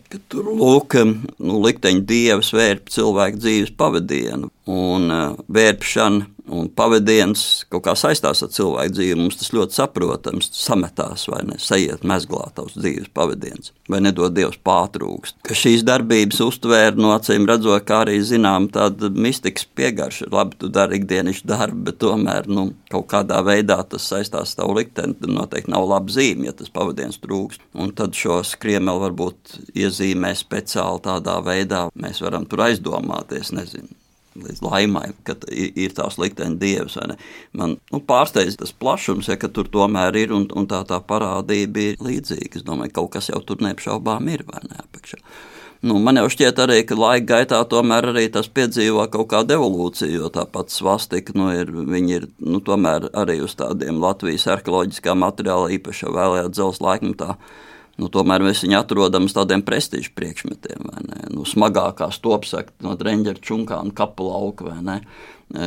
Ka tur lūk, likteņu dievs vērp cilvēku dzīves pavadienu, un vērpšana un pavadiens kaut kā saistās ar cilvēku dzīvi. Mums tas ļoti saprotams, sametās vai ne, sajiet mezglā tavs dzīves pavadiens, vai nedod Dievs pātrūkst. Ka šīs darbības uztvēra no acīm redzot, kā arī zinām tāda mistikas piegarša. Labi, tu dari ikdienišķu darbu, bet tomēr kaut kādā veidā tas saistās ar tavu likteni, tad noteikti nav laba zīme, ja tas pavadiens trūkst. Un tad šo skriemeli varbūt iezīmē speciāli tādā veidā, mēs varam tur aizdomāties, nezinu, līdz laimai, ka ir tās likteņa dievs. Man pārsteidz tas plašums, ka tur tomēr ir, un tā parādība ir līdzīga. Es domāju, kaut kas jau tur neapšaubām ir, vai ne, apakšā. Man jau šķiet arī, ka laika gaitā tomēr arī tas piedzīvo kaut kādu evolūciju, jo tāpat svastika, viņi ir tomēr arī uz tādiem Latvijas arheoloģiskā materiāla īpašā vēlējā dzelzs laikmetā. Tomēr mēs viņu atrodam uz tādiem prestīžu priekšmetiem, vai ne? Smagākā stopsaka no Dreņģera čunkāna kapu lauka, vai ne?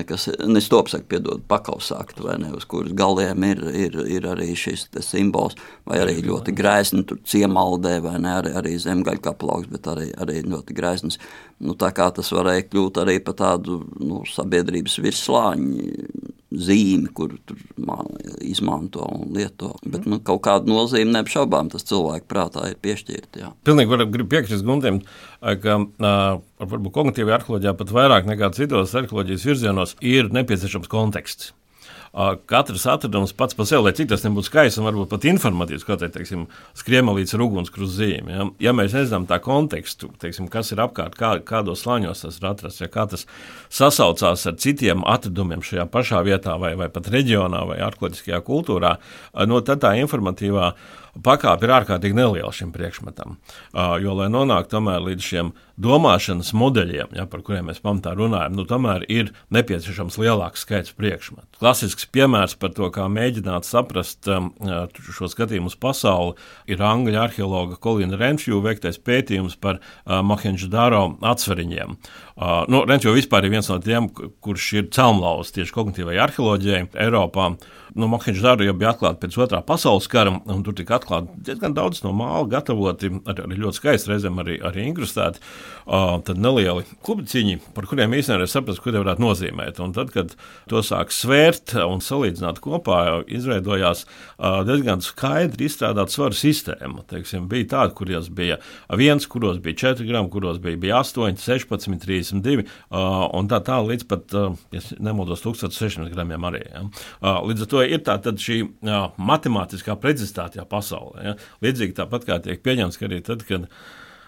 Kas, ne stopsaka, piedod, pakausākta, vai ne? Uz kuras galiem ir arī šis simbols, vai arī ļoti grēsni tur ciemaldē, vai ne? Arī zemgaļu kapu lauks, bet arī ļoti grēsnis. Tā kā tas varēja kļūt arī par tādu sabiedrības virslāņu zīmi, kur tur izmanto un lieto. Bet kaut kādu nozīmi neapšaubām tas cilvēku prātā ir piešķirt. Jā. Pilnīgi gribu piekrist Guntim, ka varbūt kognitīvajā arheoloģijā pat vairāk nekā citos arheoloģijas virzienos ir nepieciešams konteksts. katrs atradums pats par sevi, lai cik tas nebūtu skaists un varbūt pat informatīvs, kā teiksim, skriemelīts ar ugunskrustu zīmi. Ja mēs nezinām tā kontekstu, teiksim, kas ir apkārt, kādos slāņos tas ir atrasts, ja kā tas sasaucās ar citiem atradumiem šajā pašā vietā vai pat reģionā vai arheoloģiskajā kultūrā, tad tā informatīvā pakāpe ir ārkārtīgi neliela šim priekšmetam, jo, lai nonāktu tomēr līdz šiem domāšanas modeļiem, par kuriem mēs pamatā runājam, tomēr ir nepieciešams lielāks skaits priekšmetu. Klasisks piemērs par to, kā mēģināt saprast šo skatījumu uz pasauli, ir angļu arheologa Colina Renfrew veiktais pētījums par Mohendžodaro atsveriņiem. Renfrew vispār ir viens no tiem, kurš ir celmlauz tieši kognitīvai arheoloģijai Eiropā. Mohendžodaro jau bija atklāta pēc otrā pasaules kara, un tur tika atklāti diezgan daudz no māla gatavoti, arī ļoti skaisti, reizēm arī inkrustēti, tad nelieli kubiciņi, par kuriem īstenībā saprast, ko tie varētu nozīmēt. Un tad, kad to sāk svērt un salīdzināt kopā, izveidojās diezgan skaidri izstrādāt svaru sistēmu. Teiksim, bija tādi, kuros bija 1, kuros bija 4 grami, kuros bija 8, 16, 32, un tā līdz pat, ja nemaldos, 1600 gramiem arī. Ja. Līdz ar to ir tātad šī matemātiskā precizitāte pasaulē. Ja. Līdzīgi tāpat kā tiek pieņemts, ka arī tad, kad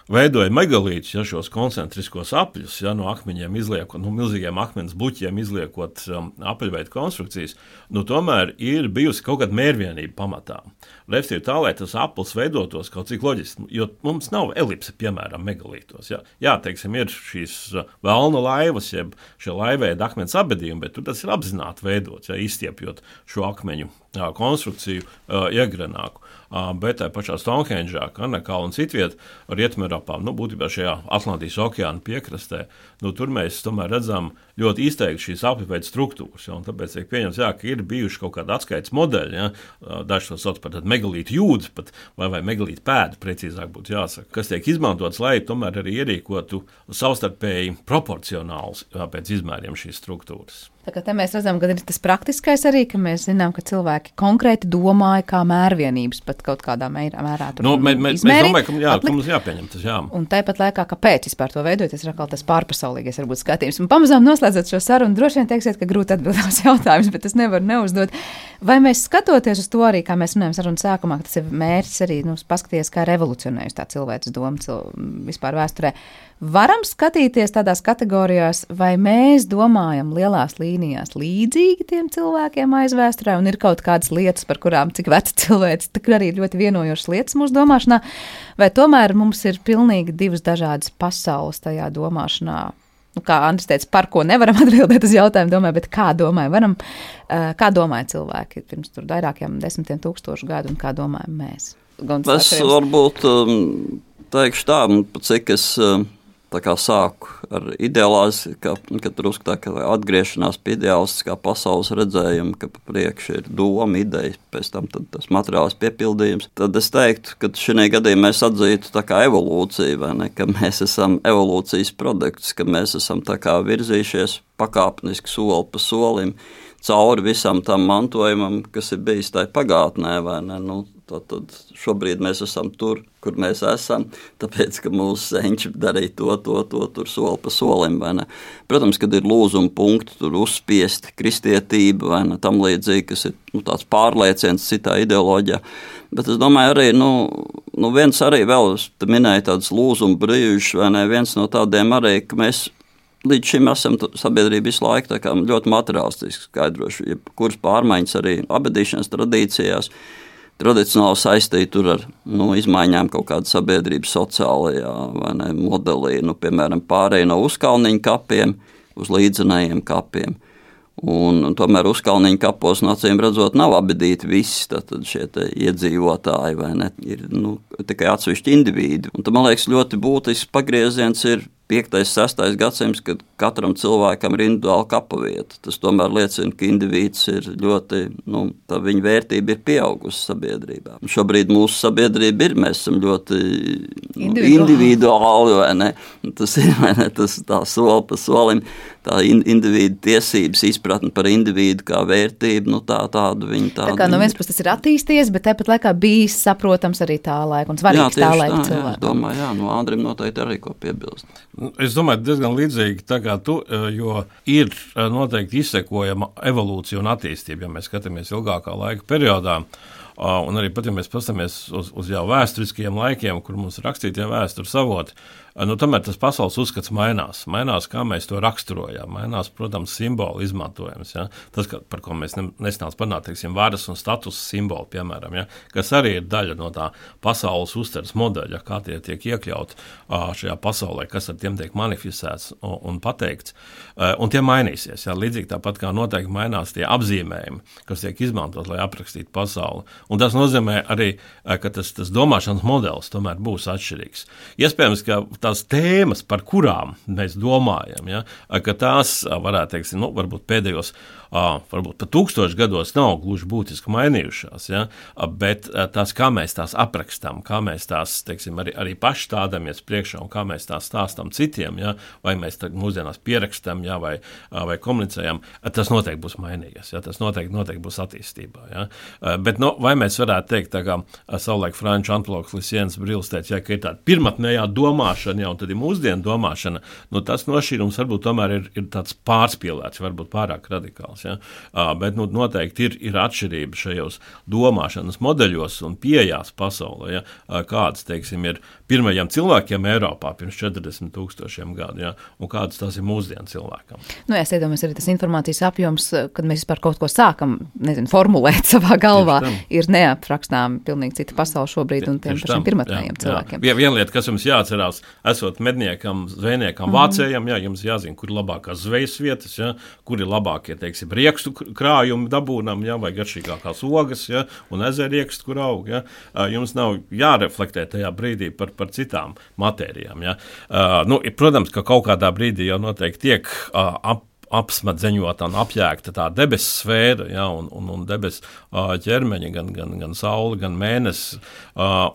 veidoja megalītus, šos koncentriskos apļus, no akmeņiem izliekot, milzīgiem akmens bluķiem izliekot apaļveidu konstrukcijas, tomēr ir bijusi kaut kāda mērvienība pamatā. Respektīvi tā, lai tas aplis veidotos kaut cik loģiski, jo mums nav elipse, piemēram, megalītos. Teiksim, ir šīs velna laivas, jeb šie laivveida akmens abedījumi, bet tur tas ir apzināti veidots, izstiepjot šo akmeņu konstrukciju iegrenāku. Bet tā pašā Stonhendžā, Karnakā un citviet Rietumēropā, būtībā šajā Atlantijas okeāna piekrastē, tur mēs tomēr redzam ļoti izteikti šīs apļveida struktūras. Un tāpēc tiek pieņemts, ka ir bijuši kaut kādi atskaites modeļi, daži to sauc par megalītu jūdzi, vai megalītu pēdu, precīzāk būtu jāsaka, kas tiek izmantots, lai tomēr arī ierīkotu savstarpēji proporcionāls pēc izmēriem šīs struktūras. Tā kā te mēs redzam, ka ir tas praktiskais arī, ka mēs zinām, ka cilvēki konkrēti domāja, kā mērvienības pat kaut kādā mērā tur mēs domājam, ka mums jāpieņem tas, Un tāpat laikā, kāpēc vispār to veidoties, ir atkal tas pārpasaulīgais varbūt skatījums. Un pamazām noslēdzot šo sarunu, droši vien teiksiet, ka grūti atbildās jautājums, bet es nevaru neuzdot. Vai mēs skatoties uz to arī, kā mēs runājam sarunas sākumā, ka tas ir mērķis arī, paskatīties, kā revolucionējusi tā cilvēces doma vispār vēsturē, varam skatīties tādās kategorijās, vai mēs domājam lielās līnijās līdzīgi tiem cilvēkiem aizvēsturē, un ir kaut kādas lietas, par kurām cik veca cilvēks, tur arī ļoti vienojošas lietas mūsu domāšanā, vai tomēr mums ir pilnīgi divas dažādas pasaules tajā domāšanā. Kā Andris teica, par ko nevaram atbildēt uz jautājumu, bet kā domāja cilvēki pirms tur vairākiem 10 000 gadu, un kā domājam mēs? Es varbūt teikšu tā, cik es sāku ar ideālās, ka drusku tā, ka atgriešanās pie ideālistiskā pasaules redzējuma, ka pa priekšu ir doma, ideja, pēc tam tas materiāls piepildījums. Tad es teiktu, ka šajā gadījumā mēs atzītu tā kā evolūciju, vai ne, ka mēs esam evolūcijas produkts, ka mēs esam tā kā virzījušies pakāpeniski soli pa solim cauri visam tam mantojumam, kas ir bijis tajā pagātnē, vai ne, Tad šobrīd mēs esam tur, kur mēs esam, tāpēc, ka mūsu senči darīja to tur soli pa solim, vai ne. Protams, kad ir lūzuma punkti, tur uzspiesti kristietība, vai ne, tam līdzīgi, kas ir tāds pārlieciens citā ideoloģijā. Bet es domāju arī, viens arī vēl, te minēja tādas lūzuma brīžus, vai ne, viens no tādiem arī, ka mēs līdz šim esam sabiedrība visu laiku tā kā ļoti materiālistiski skaidroši, kuras pārmaiņas arī abedīšanas tradīcijās, tradicionāli saistīti tur ar izmaiņām kaut kāda sabiedrības sociālajā modelī, piemēram, pārēj no uzkalniņu kapiem uz līdzenējiem kapiem. Un tomēr uzkalniņu kapos, acīm redzot, nav abedīti visi šie iedzīvotāji, vai ne, ir tikai atsevišķi indivīdi. Un man liekas, ļoti būtisks pagrieziens ir 5. 6. gadsimts, kad katram cilvēkam ir individuāla kapavieta. Tas tomēr liecina, ka indivīds ir ļoti, tā viņa vērtība ir pieaugusi sabiedrībā. Un šobrīd mūsu sabiedrība mēs esam ļoti individuāli, vai ne? Tas ir, vai ne, tas tā soli pa solim, tā individu tiesības, izpratni par individu kā vērtību, tādu viņa tādu. Tā kā no viens puses tas ir attīstījies, bet tāpat laikā bijis saprotams arī tā laika un svarīgs tā laika cilvēkam. Jā, es domāju, Andrim noteikti arī ko piebilst. Es domāju, diezgan līdzīgi tā kā tu, jo ir noteikti izsekojama evolūcija un attīstība, ja mēs skatāmies ilgākā laika periodā. Un arī pat, ja mēs paskatāmies uz jau vēsturiskajiem laikiem, kur mums ir rakstītie vēstures avoti, tomēr tas pasaules uzskats mainās. Mainās, kā mēs to raksturojam. Mainās, protams, simbolu izmantojums. Ja? Tas, par ko mēs nesnāc panākt, teiksim, varas un status simboli, piemēram, ja? Kas arī ir daļa no tā pasaules uztveres modeļa, kā tie tiek iekļauti šajā pasaulē, kas ar tiem tiek manifestēts un pateikts. Un tie mainīsies. Ja? Līdzīgi tāpat kā noteikti mainās tie apzīmējumi, kas tiek izmantot, lai aprakstītu pasauli. Un tas nozīmē arī, ka tas domāšanas modelis tomēr būs atšķirīgs. Iespējams, ka tās tēmas, par kurām mēs domājam, ja, ka tās varētu teikt, varbūt pēdējos, varbūt pat 1000 gados nav gluži būtiski mainījušās, ja, bet tās, kā mēs tās aprakstām, kā mēs tās, teiksim, arī paši stādamies priekšā un kā mēs tās stāstam citiem, ja, vai mēs mūsdienās pierakstam, ja, vai komunicējam, tas noteikti būs mainījies, ja, tas noteikti būs attīstībā. Ja. Bet, vai mēs varētu teikt, tā kā savulaik franču antropologs Lisiens Brils teica, ja, ka ir tāda pirmatnējā domāšana, ja, un tad ir mūsdienu domāšana, tas nošķīrums varbūt tomēr ir tāds pārspīlēts, varbūt pārāk radikāls. Ja? Bet noteikti ir atšķirība šajos domāšanas modeļos un pieejās pasaulē, ja? Kādas, teiksim, ir pirmajiem cilvēkiem Eiropā pirms 40 000 gadu, ja? Un kādas tās ir mūsdienu cilvēkam. Es iedomājos arī tas informācijas apjoms, kad mēs vispār kaut ko sākam, formulēt savā galvā, ir neaprakstām pilnīgi cita pasaule šobrīd un tiem pašiem pirmatnējiem cilvēkiem. Viena lieta, kas jums jāatcerās, esot medniekam, zvejniekam, vācējam, ja, jums jāzina, kur ir labākās zvejas vietas, ja, kur ir labākie, teiksim, riekstu krājumi dabūnam, ja, vai garšīgākās ogas, ja, un ezeriekstu, kur aug. Ja. Jums nav jāreflektē tajā brīdī par citām matērijām. Ja. Protams, ka kaut kādā brīdī jau noteikti tiek apsmadzeņota un apjēgta tā debesu sfēra, ja, un debesu ķermeņa, gan saule, gan mēnesis.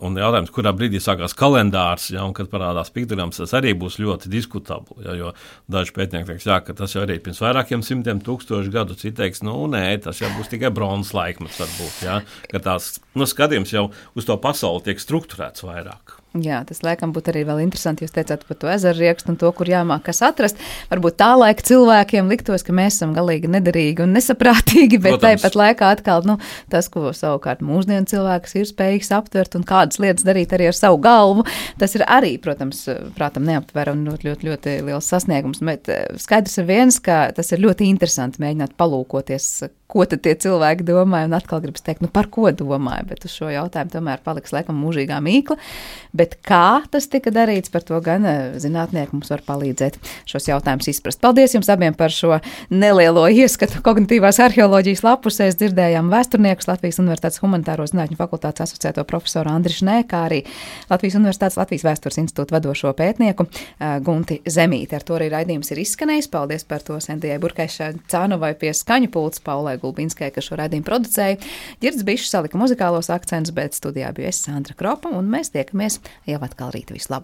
Un jautājums, kurā brīdī sākās kalendārs, ja, un kad parādās piktograms, tas arī būs ļoti diskutabli. Ja, jo daži pētnieki teiks, ka tas jau arī pirms vairākiem 100 000 gadu, citi teiks, nē, tas jau būs tikai bronzas laikmets varbūt. Ja, ka tās skatījums jau uz to pasauli tiek strukturēts vairāk. Jā, tas laikam būtu arī vēl interesanti, jūs teicāt par to ezeru riekstu un to, kur jāmāk kas atrast. Varbūt tā laika cilvēkiem liktos, ka mēs esam galīgi nederīgi un nesaprātīgi, bet tāpat laikā atkal, tas, ko savukārt mūsdienu cilvēks ir spējīgs aptvert un kādas lietas darīt arī ar savu galvu, tas ir arī, protams, prātam neaptver un ļoti, ļoti, ļoti liels sasniegums, bet skaidrs ir viens, ka tas ir ļoti interesanti mēģināt palūkoties, ko tad tie cilvēki domāja, un atkal gribas teikt, par ko domāja, bet uz šo jautājumu tomēr paliks laikam mūžīgā mīkla, bet kā tas tika darīts, par to gan zinātnieki mums var palīdzēt šos jautājumus izprast. Paldies jums abiem par šo nelielo ieskatu kognitīvās arheoloģijas lapusēs, dzirdējām vēsturniekus Latvijas Universitātes Humanitāro zinātņu fakultātes asociēto profesoru Andri Šnē, kā arī Latvijas Universitātes Latvijas Vēstures institūta vadošo pētnieku Gunti Zemīti. Ar to arī raidījums ir izskanējis. Paldies par to Sentijai Burkaišai-Cānovai pie skaņu pults, Paulai Gulbinskai, kas šo raidījumu producēja. Ģirds Bišs salika muzikālos akcentus, bet studijā biju es, Sandra Kropa, un mēs tiekamies jau atkal rīt. Visu labu!